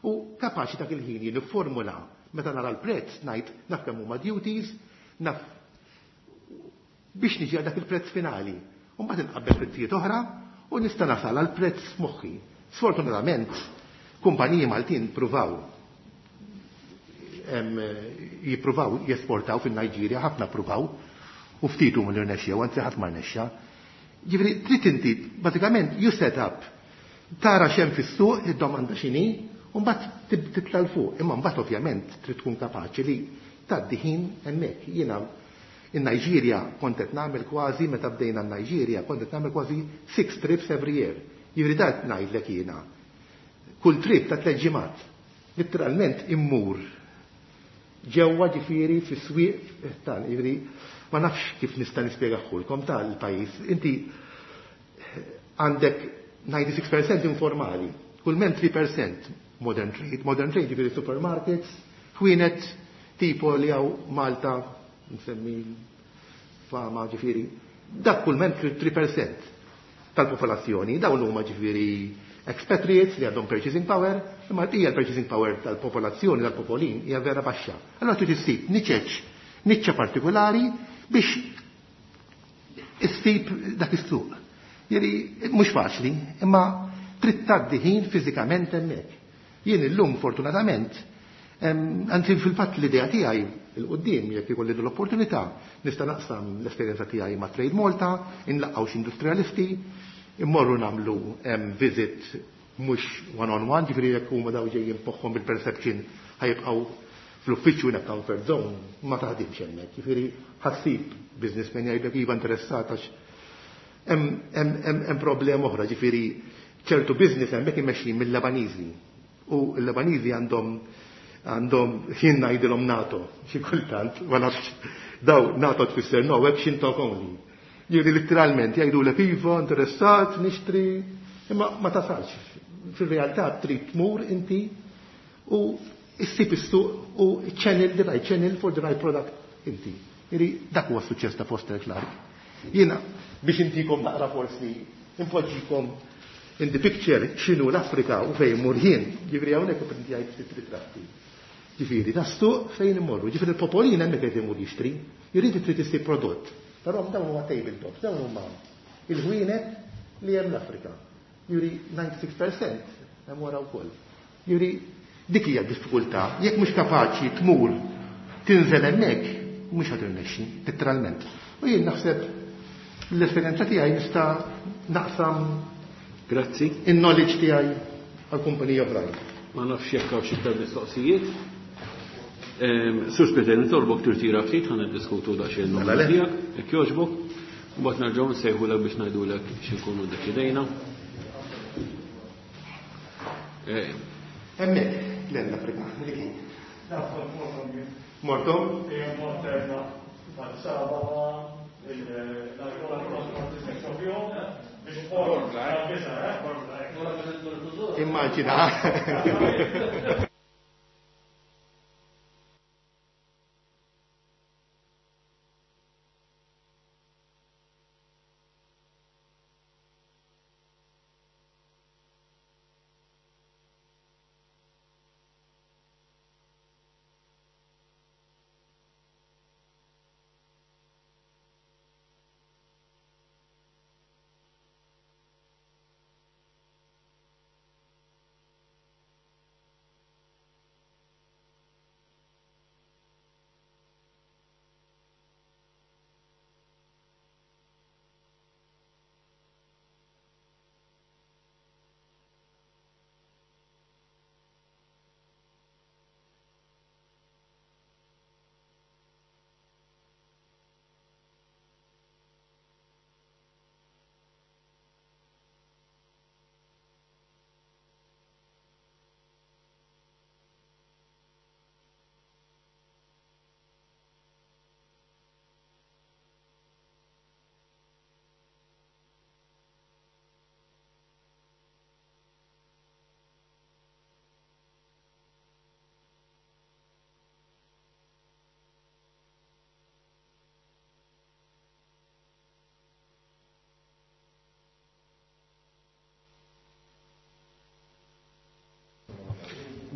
U kapaċi dak il-ħin jien formula meta nara l-prezz ngħid naf kemm huma duties, naf biex niġi għal dak il-prezz finali. U mbagħad inqabbel prezzijiet oħra u nista' nasal għal prezz moħħi. Sfortunatament, kumpaniji Maltin pruvaw jippruvaw jesportaw fin-Niġerja, ħafna pruvaw, u ftit huma li rnexxew, anzi ħadd ma rnexxa. Ġifieri trid inti bażikament you set up, tara x'hemm fis-suq, id-domanda x'inhi, u mbagħad titla' 'l fuq. Imma mbagħad ovvjament trid tkun kapaċi li tgħaddi ħin hemmhekk. Jiena in Niġerja kont qed nagħmel kważi, meta bdejna n-Niġerja, kont qed nagħmel kważi six trips every year. Jiġifieri dat ngħidlek jiena. Kull trip ta' tliet ġimgħat. Literalment immur ġewwa, ġifieri fis-swieq tal, ġifieri ma nafx kif nista' nispjegaħulkom tal-pajjiż. Inti għandek disgħa u disgħin per cent informali, kull mem tlieta per cent modern trade. Modern trade ġifieri supermarkets, ħwienet tipo li hawn Malta, nsemmi fama ġifieri, dak kull men three percent tal-popolazzjoni, dawn huma ġifieri expatriates li għandhom purchasing power, imma hija l-purchasing power tal-popolazzjoni, tal-popolin, hija vera baxxa. Allora trid issib niċeċ, niċċa partikolari biex issib dak is-suq. Jieri mhux faċli, imma trid tgħaddi ħin fiżikament hemmhekk. Jien illum fortunatament, anzi fil-fatt l-idea tiegħi il-qudiem jekk ikolli l-opportunità, nista' naqsam l-esperjenza tiegħi ma' Trade Malta, inlaqgħu xi industrialisti, immorru nagħmlu visit mhux one on one, ġifieri jekk huma daw ġejjin poħħom bil-perception ħajibqgħu fl-uffiċċju in a comfort zone, ma taħdimx hemmhekk. Ġifieri ħassib businessman jgħidlek iva interessat għax hemm problema oħra, ġifieri ċertu business hemmhekk imexxin mill-Lebaniżi. U l-Lebaniżi għandhom għandhom jien ngħidilhom NATO, xi kultant, ma nafx daw NATO tfisser no action talk only. Jiġifieri letteralment jgħidulek iva, interessat, nixtri, imma ma tasalx. Fil-realtà trid tmur inti u issib is-suq u channel the right channel for the right product inti. Jiġifieri dak huwa s-suċċess ta' Foster Clark. Jiena biex intikom naqra forsi impoġġikom in the picture x'inhu l-Afrika u fejn mur jien, jiġifieri hawnhekk ipprintjajt ftit ritratti. Ġifieri, ta' suq fejn imorru, ġifieri il-popolin hemmhekk qed imur jixtri, jrid trid issib prodott. Però dawn huma tabletops, dawn huma il-ħwienet li hemm l-Afrika. Juri ninety-six percent hemm wara wkoll. Juri dik hija d-diffikultà, jekk mhux kapaċi tmur tinżel hemmhekk, mhux ħa tirnexxi, letteralment. U jien naħseb l-esperjenza tiegħi nista' naqsam Grazzi. in-knowledge tiegħi għal kumpaniji oħrajn. Ma nafx jekk hawn xi iktar mistoqsijiet. Ehm, Sur Spiteri, nitolbok tirtira ftit, ħa niddiskutu daqsxejn Mela n-numru le. tiegħek, jekk jogħġbok, u mbagħad nerġgħu nsejħulek biex ngħidulek x'inkunu ddeċidejna. Ehm. Hemmhekk l-Afrika, li kien. Mortom? Immaġina.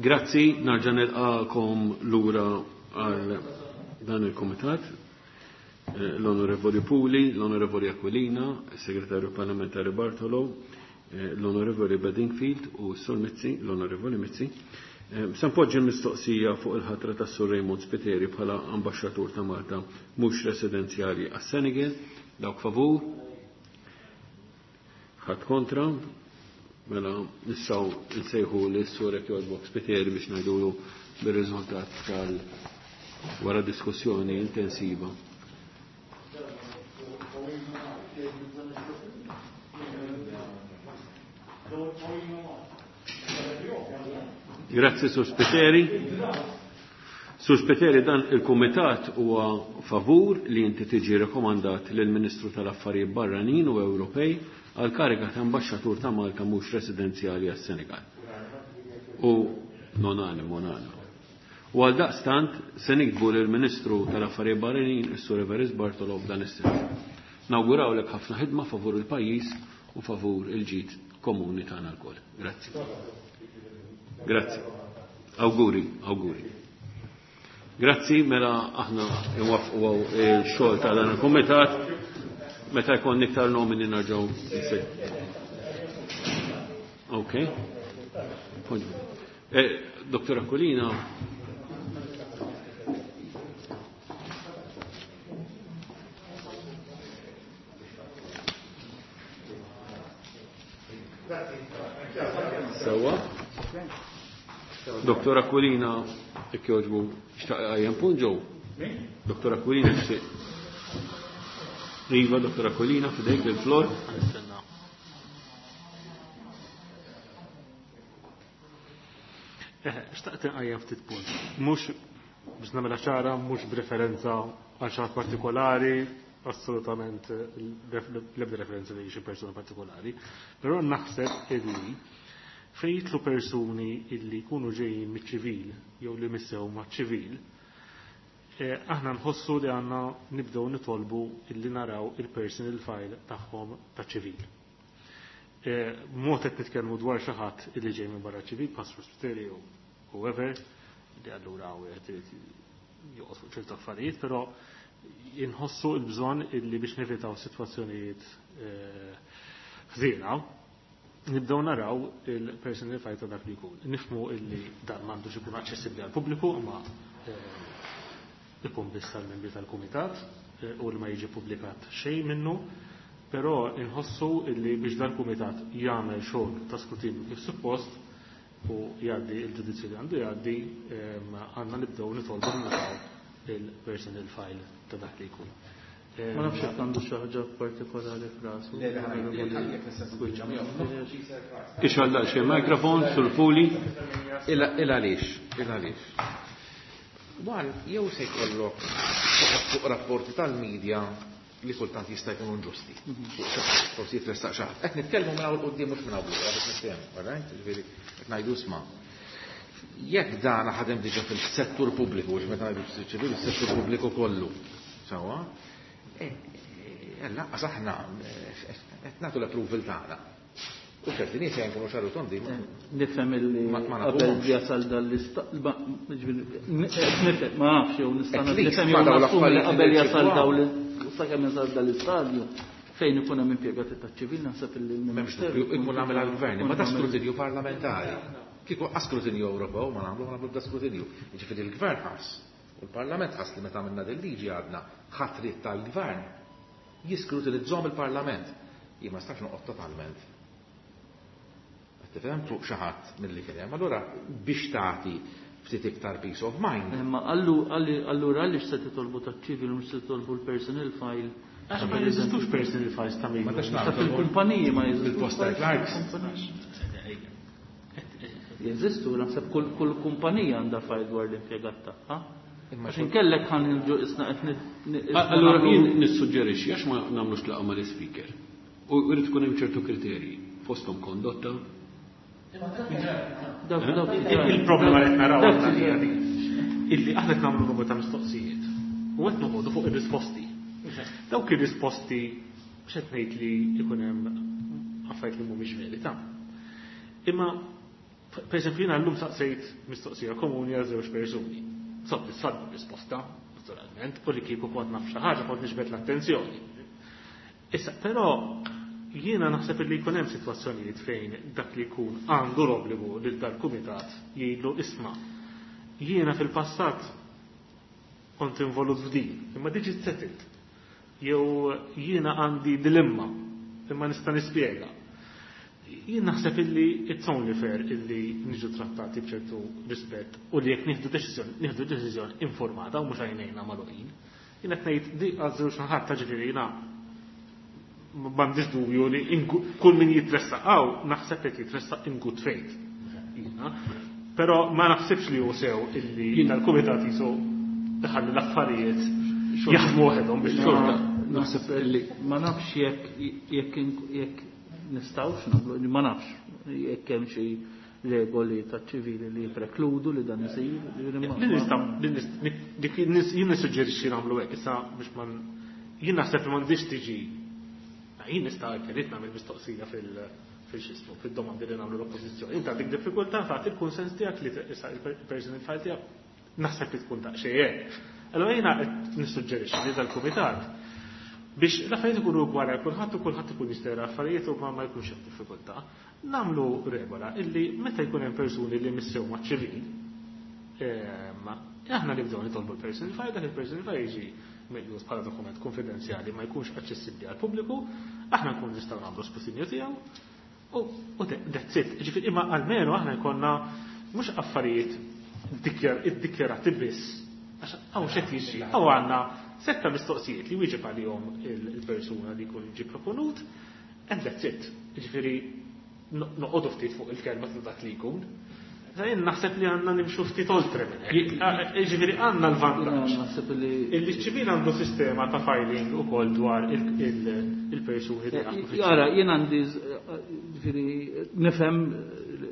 Grazzi, narġa' nilqakom lura għal dan il-Kumitat. Eh, l-Onorevoli Puli, l-Onorevoli Aquilina, il-Segretarju Parlamentari Bartolo, eh, l-Onorevoli Bedingfield u Sur Mizzi, l-Onorevoli Mizzi. Eh, se npoġġi mistoqsija fuq il-ħatra ta' Sur Raymond Spiteri bħala ambaxxatur ta' Malta mhux residenzjali għas-Senegal. Dawk favur? Ħadd kontra? Mela nistgħu nsejħu lis Sur Jogħġbok Spiteri biex ngħidulu bir-riżultat tal wara diskussjoni intensiva. Grazzi Sur Spiteri. Sur Spiteri, dan il-Kumitat huwa favur li inti tiġi rekomandat lill-Ministru tal-Affarijiet Barranin u Ewropej għal kariga ta' ambaxxatur ta' Malta mhux residenzjali għas-Senegal. U nonani, monani. U għal daqstant se nikbu lill-Ministru tal-Affarijiet Barranin, is-Sur Evarist Bartolo, f'dan is-sens. Nawgurawlek ħafna ħidma favur il-pajjiż u favur il-ġid komuni tagħna lkoll. Grazzi. Grazzi. Awguri, awguri. Grazzi, mela aħna nwaffqu il-xogħol ta' dan il-kumitat. Meta jkun iktar nomini nerġgħu nsejħu. Ok. Eh, Doktor Aquilina. Sewa. Doktor Aquilina, jekk jogħġbu, xtaq għajjem punt ġew. Doktor Aquilina, xtaq. Iva, Doktor Aquilina, fidejk il-flor. Xtaqt nqajjem ftit punt. Mhux biex nagħmilha ċara, mhux b'referenza għal xi ħadd partikolari, assolutament l-ebda referenza li xi persuna partikolari, però naħseb illi fejn jitlu persuni illi jkunu ġejjin miċ-ċivil jew li missew maċ-ċivil, aħna nħossu li għandna nibdew nitolbu illi naraw il-personal file tagħhom taċ-ċivil. Mod qed nitkellmu dwar xi ħadd illi ġej minn barra ċivil, pastor Spiteri jew whoever, li allura wieħed irid joqgħod fuq ċertu affarijiet, però inħossu l-bżonn illi biex nevitaw sitwazzjonijiet ħżiena, nibdew naraw il-personal file ta' dak li jkun. Nifhmu illi dan m'għandux ikun aċċessibbli għall-pubbliku, imma ikun biss tal-membri tal-kumitat u li ma jiġi pubblikat xejn minnu, però inħossu illi biex dal-kumitat jagħmel xogħol ta' skrutinju kif suppost u jgħaddi il-ġudizzju li għandu jgħaddi, għandna nibdew nitolbu naraw il-personal file ta' dak li jkun. Ma nafx jekk għandu xi ħaġa partikolari f'rasu. Ixgħal xi mikrofon sul fuli. Il għaliex, il għaliex. Wan jew se jkollok fuq rapporti tal-medja li kultant jista' jkunu inġusti. Forsi jitressaq xi ħadd. Qed nitkellmu minn hawn quddiem mhux minn hawn lura biex niftehmu, all right? Ġifieri qed ngħidu isma'. Jekk dan ħadem diġà fil-settur pubbliku, mhux meta ngħidu ċivili, fis-settur pubbliku kollu. Sewwa? Lanqas aħna qed nagħtu l-approval tagħna. U ċerti nies jkunu xaru tondi. Nifhem illi qabel jasal dal-istat, nifhem, ma nafx jew nista' nifhem jew nassumi li qabel jasal dawn sakemm jasal dal-istadju fejn ikun hemm impjegati taċ-ċivil naħseb illi l-Ministeru ikun għamel għall-gvern, ma ta' skrutinju parlamentari. Kieku skrutinju Ewropew ma nagħmlu ma nagħmlu da skrutinju. Jiġifieri l-gvern ħass u l-Parlament ħass li meta għamilna din liġi għadna ħatrit tal-gvern jiskrutinizzhom il-Parlament. Jien ma nistax noqgħod totalment. Tifhem fuq xi ħadd milli kien hemm. Allura biex tagħti ftit iktar peace of mind. Imma allura għaliex se titolbu taċ-ċivil u mhux se titolbu l-personal file? Għax ma jeżistux personal files ta' min. Ta' fil-kumpaniji ma jeżistux. Il-posta clerks. Jeżistu, naħseb kull kumpanija għandha file dwar l-impjegat tagħha. Għax inkellek ħan nġu isna qed Allura jien nissuġġerixxi għax ma nagħmlux laqgħa mal-ispeaker. U jrid ikun hemm ċertu kriterji, fosthom kondotta. Il-problema li qed naraw illi aħna qed nagħmlu numru ta' mistoqsijiet u qed noqogħdu fuq ir-risposti. Dawk ir-risposti x'qed ngħid li jkun hemm affarijiet li mhumiex verità. Imma pereżempju jiena llum saqsejt mistoqsija komuni għal żewġ persuni. Soddisfatt bir-risposta, naturalment, u li kieku kont naf xi ħaġa kont niġbed l-attenzjoni. Issa, però jiena naħseb li jkun hemm sitwazzjonijiet fejn dak li jkun għandu l-obbligu lil dal-kumitat jgħidlu isma' jiena fil-passat kont involut f'din, imma diġi settled. Jew jiena għandi dilemma, imma nista' nispjega. Jien naħseb illi it's only fair illi niġu trattati b'ċertu rispett u li jekk nieħdu deċiżjoni, nieħdu deċiżjoni informata u mhux għajnejna magħluqin. Jien qed ngħid di għażżewġ naħat ta' ġifieri jiena m'għandix dubju li kull min jitressaq hawn naħseb qed jitressaq in good faith. Jiena. Però ma naħsibx li hu sew illi tal-kumitat jisu iħalli l-affarijiet jaħdmu waħedhom biex xorta. Naħseb illi ma nafx jekk jekk jekk nistgħux nagħmlu, ma nafx jekk hemm xi regoli taċ-ċivili li jiprekludu li dan isir. Jien nissuġġerixxi nagħmlu hekk issa biex ma jien naħseb li m'għandix tiġi jien nista' irid nagħmel mistoqsija fil fil-xismu, fil-domandi li nagħmlu l-oppożizzjoni. Inti għandek diffikultà tagħti il-kunsens tiegħek li issa il-personal file tiegħek naħseb li tkun daqsxejn hekk. Allura jiena qed nissuġġerixxi li dal-kumitat biex l-affarijiet ikunu ugwali għal kulħadd u kulħadd ikun jista' jara affarijiet u ma ma jkunx hemm diffikultà. Nagħmlu regola illi meta jkun hemm persuni li missew maċ-ċivil, ehm, aħna nibdew nitolbu l-personal file, dak il-personal file jiġi meqjus bħala dokument konfidenzjali ma jkunx aċċessibbli għal pubbliku, aħna nkun nistgħu nagħmlu skrutinju tiegħu u u that's it. Ġifieri imma almenu aħna jkollna mhux affarijiet iddikjarati biss għax hawn x'qed jiġri, hawn għandna setta mistoqsijiet li wieġeb għalihom il-persuna li jkun ġie proponut, and that's it. Ġifieri noqogħdu ftit fuq il-kelma ta' dak li jkun. Jien naħseb li għandna nimxu ftit oltre minn hekk. Ġifieri għandna l-vantaġġ. Naħseb li Illi ċ-ċivil għandu sistema ta' filing ukoll dwar il-persuni li jaħdmu fiċ-ċivil. Jara, jien għandi ġifieri nifhem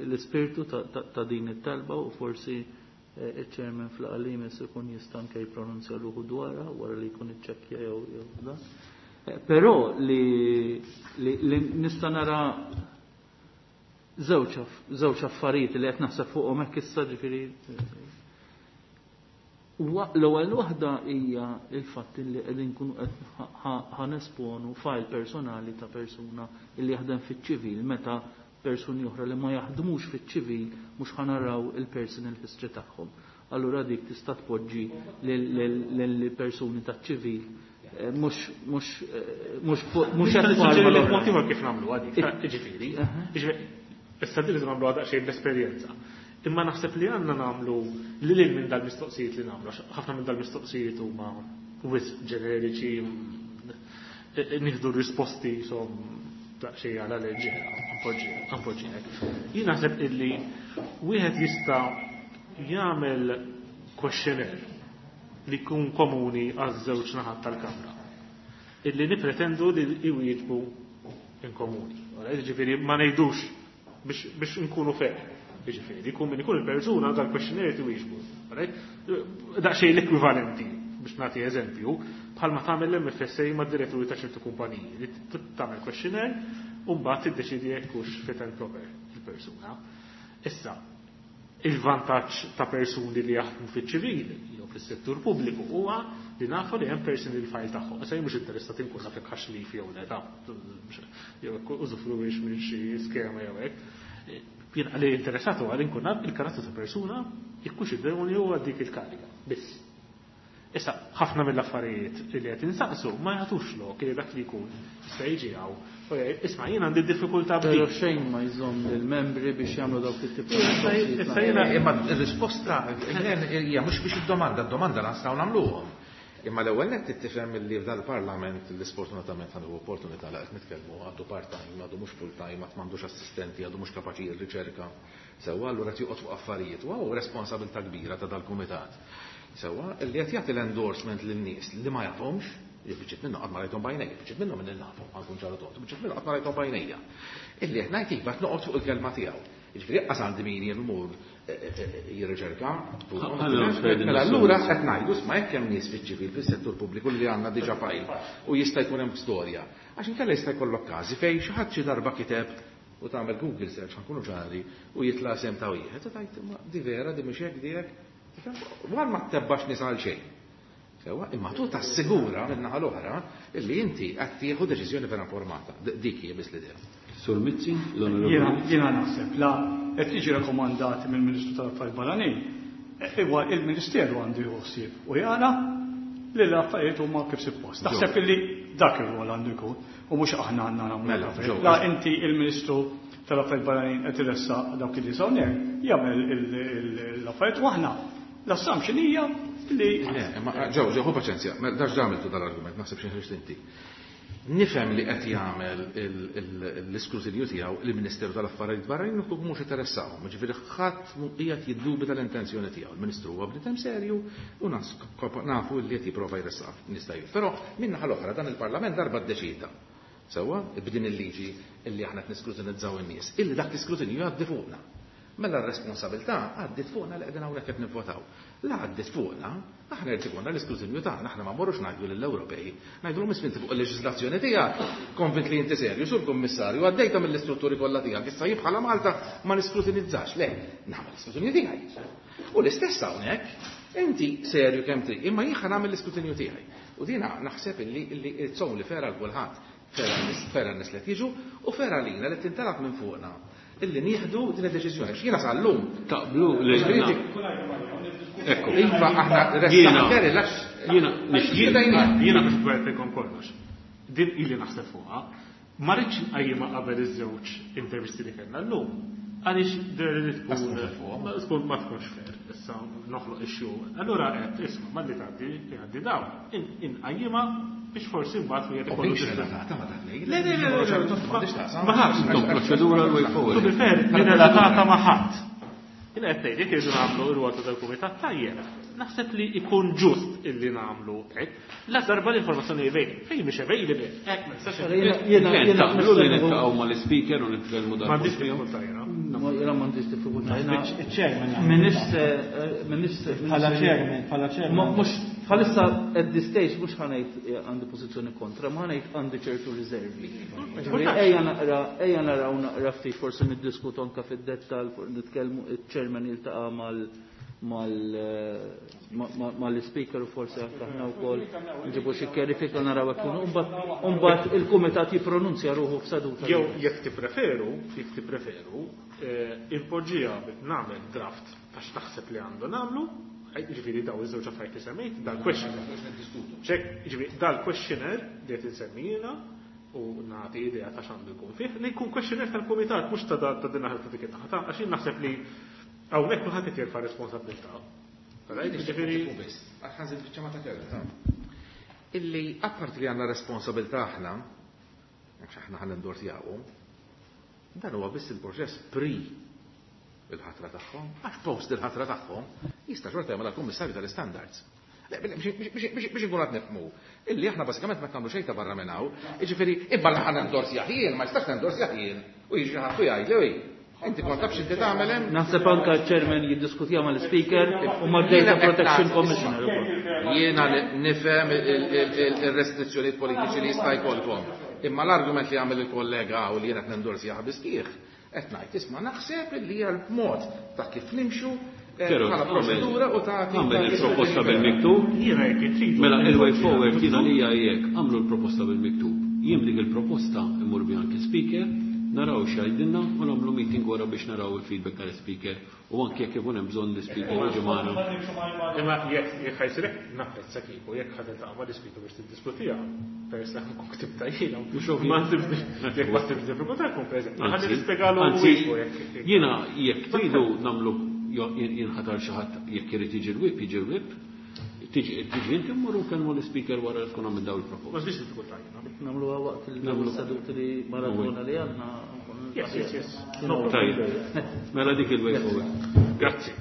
l-ispirtu ta' din it-talba u forsi il-chairman fl-qalim ikun jista' anke jippronunzja ruħu dwarha wara li jkun iċċekkja jew jew dan. Però li li nista' nara żewġ żewġ affarijiet li qed naħseb fuqhom hekk issa ġifieri l-ewwel waħda hija l-fatt li qegħdin nkunu qed ħanesponu file personali ta' persuna li jaħdem fiċ-ċivil meta persuni oħra li ma jaħdmux fiċ-ċivil mhux ħanaraw il-personal history tagħhom. Allura dik tista' tpoġġi lill-persuni taċ-ċivil mhux mhux mhux mhux qed mod ieħor kif nagħmlu għadik, ġifieri. Issa din li nagħmlu għadha xejn bl-esperjenza. Imma naħseb li għandna nagħmlu li lil minn dal-mistoqsijiet li nagħmlu, ħafna minn dal-mistoqsijiet huma wisq ġeneriċi, nieħdu risposti som daqsxejn għala leġġera, unfortunately. Jien naħseb illi wieħed jista' jagħmel questionnaire li jkun komuni għaż-żewġ naħat tal-kamra. Illi nipretendu li jwieġbu in komuni. Ġifieri ma ngħidux biex nkunu fair. Ġifieri, jkun min ikun il-persuna dal-questionnaire tiwieġbu. Daqsxejn l-ekwivalenti biex nagħti eżempju, bħalma tagħmel l-M F S A ma' diretturi ta' ċertu kumpaniji li tagħmel questionnaire u mbagħad tiddeċidi jekk hux fit and proper il-persuna. Issa, il-vantaġġ ta' persuni li jaħdmu fiċ-ċivil jew fis-settur pubbliku huwa li nafu li hemm personal file tagħhom. Issa jien mhux interessat inkun naf jekk ħax leave jew le ta' jew użufruwix minn xi skema jew hekk. Jien għalli interessat huwa li nkun naf il-karattru ta' persuna jekk hux idoneu għal dik il-kariga. Biss. Issa, ħafna mill-affarijiet li qed insaqsu ma jagħtux lok li dak li jkun jista' jiġi hawn. U jgħid, isma' jien għandi diffikultà b'dik. Però xejn ma jżomm lill-membri biex jagħmlu dawk it-tip ta' Issa mistoqsijiet. jiena Imma r-risposta hija mhux biex id-domanda, d-domanda nistgħu nagħmluhom. Imma l-ewwel nett tifhem li f'dan il-Parlament li sfortunatament għandu opportunità li qed nitkellmu għadu part-time, għadu mhux full-time, għad m'għandux assistenti, għadu mhux kapaċi jirriċerka. Sewwa allura qed joqgħod fuq affarijiet u hawn responsabilità kbira ta' dal-kumitat. Sewwa li qed jagħti l-endorsement lin-nies li ma jafhomx, biċċiet minnhom qatt ma rajthom b'għajnejja, biċċiet minnhom minn nafhom, ħa nkun ċar u tond, biċċiet minnhom qatt ma rajthom b'għajnejja. Illi qed ngħid iva qed noqgħod fuq il-kelma tiegħu. Jiġifieri qas għandi min jimur jirriċerka. Mela allura qed ngħidu isma' jekk hemm nies fiċ-ċivil fis-settur pubbliku li għandna diġà file u jista' jkun hemm storja. Għax inkella jista' jkollok każi fejn xi ħadd xi darba kiteb u tagħmel Google search ħa nkunu ċari u jitla' sem ta' wieħed u tgħid imma di vera di mhux hekk di hekk. Għal ma tebbax nies għal xejn. Sewwa, imma tu tassigura min-naħa l-oħra illi inti qed tieħu deċiżjoni vera informata. Dik hija biss l-idea. Sur Mizzi, l-Onorevoli. Jiena naħseb la qed jiġi rakkomandat mill-Ministru tal-Affarijiet Barranin, huwa il-Ministeru għandu jieħu ħsieb u jara li l-affarijiet huma kif suppost. Naħseb illi dak ir-rwol għandu jkun u mhux aħna għandna nagħmlu Mela, l-affarijiet. ġew. La inti il-Ministru tal-Affarijiet Barranin qed iressaq dawk li hawnhekk jagħmel l-affarijiet u aħna l-assumption hija li Le, imma ġew, ġew, ħu paċenzja, mela dax għamiltu dal-argument, naħseb xi ħriġt inti. Nifhem li qed jagħmel l-iskrutinju tiegħu il-Ministeru tal-Affarijiet Barranin u mhux interessahom. Ġifieri ħadd mhu qiegħed jiddubita l-intenzjoni tiegħu. Il-Ministru huwa bniedem serju u nafu li qed jipprova jressaq nista' jgħid. Però min-naħa l-oħra dan il-Parlament darba ddeċida. Sewwa, b'din il-liġi illi aħna qed niskrutinizzaw in-nies, illi dak l-iskrutinju jgħaddi fuqna. Mela r-responsabilità għaddiet fuqna li qegħdin hawnhekk qed nivvotaw. La għaddiet fuqna, aħna jrid ikollna l-iskrutinju tagħna, aħna ma mmorrux ngħidu lill-Ewropej, ngħidulhom isma' inti fuq il-leġiżlazzjoni tiegħek, konvint li inti serju, sur kummissarju, għaddejta mill-istrutturi kollha tiegħek, issa jien bħala Malta ma niskrutinizzax, le, nagħmel l-iskrutinju tiegħi. U l-istess hawnhekk, inti serju kemm trid, imma jien ħa nagħmel l-iskrutinju tiegħi. U dina naħseb illi illi it's only fair għal kulħadd, fair għan-nies li jiġu u fair għalina li tintalab minn fuqna illi nieħdu din id-deċiżjoni. Jiena sal-lum. Taqblu li Ekku. Iva aħna Jiena jiena jiena biex gwertilkom kollox. Din ili naħseb fuqha. Ma rridx nqajjimha qabel iż-żewġ intervisti li kellna llum. Għaliex li tkun tkun ma tkunx fair. Issa noħloq issue. Allura qed isma' malli tgħaddi tgħaddi dawn. Inqajjimha biex forsi mbagħad wieħed ikollu relatata ma' dak Le, le, le, ma ħadd. Intom proċedura l-way forward. To be fair, minn relatata ma' ħadd. Jien qed ngħid jekk irridu nagħmlu r-rwol ta' dal-kumitat tajjeb. Naħseb li ikun ġust illi nagħmlu hekk. La darba l-informazzjoni available. Fejn mhix available. Hekk ma nistax. Jiena jiena Taqblu li niltaqgħu mal-speaker u nitkellmu dan. M'għandix diffikultà jiena. Jiena m'għandix diffikultà. Iċ-chairman. Minix minix Bħala chairman, bħala chairman. Mhux bħalissa at this stage mhux ħa ngħid għandi pożizzjoni kontra, ma ħa ngħid għandi ċertu riservi. Ejja naqra, ejja naraw naqra ftit forsi niddiskutu anke fid-dettall, nitkellmu iċ-chairman jiltaqa' mal mal-speaker u forsi anke aħna wkoll nġibu xi kjarifika naraw hekk u mbagħad il-kumitat jippronunzja ruħu f'seduta. Jew jekk tippreferu, jekk tippreferu, impoġġiha nagħmel draft għax taħseb li għandu nagħmlu, ġifieri daw iż-żewġ affarijiet li semmejt, dal-questionnaire. Ċek, ġifieri dal-questionnaire li qed insemmi jiena u nagħti idea ta' x'għandu jkun fih, li jkun questionnaire tal-kumitat mhux ta' ta' din naħa ta' dik in-naħa ta' għax jien naħseb li hawnhekk kulħadd qed jerfa' responsabilità. Ġifieri biss, għax ħanżid biċċa ma ta' kelma. Illi apparti li għandna responsabilità aħna, għax aħna ħa nendorsjawhom, dan huwa biss il-proċess pre il-ħatra tagħhom, għax post il-ħatra tagħhom jista' xorta jagħmel kummissarju tal-istandards. Biex inkun qed nifhmu, illi aħna bażikament ma nagħmlu xejn ta' barra minn hawn, jiġifieri imma li ħa nendorsjah jien, ma jistax nendorsjah jien. U jiġi ħadd u jgħid li inti kont taf x'inti tagħmel hemm. Naħseb anke ċ-chairman jiddiskutija mal-speaker u mad-Data Protection Commissioner ukoll. Jiena nifhem ir-restrizzjonijiet politiċi li jista' jkollkom. Imma l-argument li għamel il-kollega u li jiena qed nendorsjah biskieħ, qed ngħid isma' naħseb li hija l-mod ta' kif nimxu bħala proċedura u ta' Għamel il-proposta bil-miktub. Jiena jekk tridu. Mela il-way forward jiena li hija jekk għamlu l-proposta bil-miktub. Jien dik il-proposta immur bi anke speaker, naraw x'għidilna u nagħmlu meeting wara biex naraw il-feedback tal-speaker u anke jekk ikun hemm bżonn l-speaker jiġi magħna. Imma jekk jekk ħajsirek napprezza kieku jekk ħadd tiltaqa' mal-ispeaker biex tiddiskutiha, peress li nkun ktibta jiena. Ma jekk ma ssibx diffikultà jkun preżenti. Ħalli nispjegalu Anzi, jiena jekk tridu nagħmlu jinħatar xi ħadd jekk irid jiġi l-whip, jiġi l-whip, tiġi tiġi inti mmorru nkellmu l-speaker wara li tkun għamil daw il-proposta. Ma ssibx diffikultà jiena. Nagħmluha waqt il-seduti li maratona li għandna. Yes, yes, yes. Tajjeb. Mela dik il-way forward. Grazzi.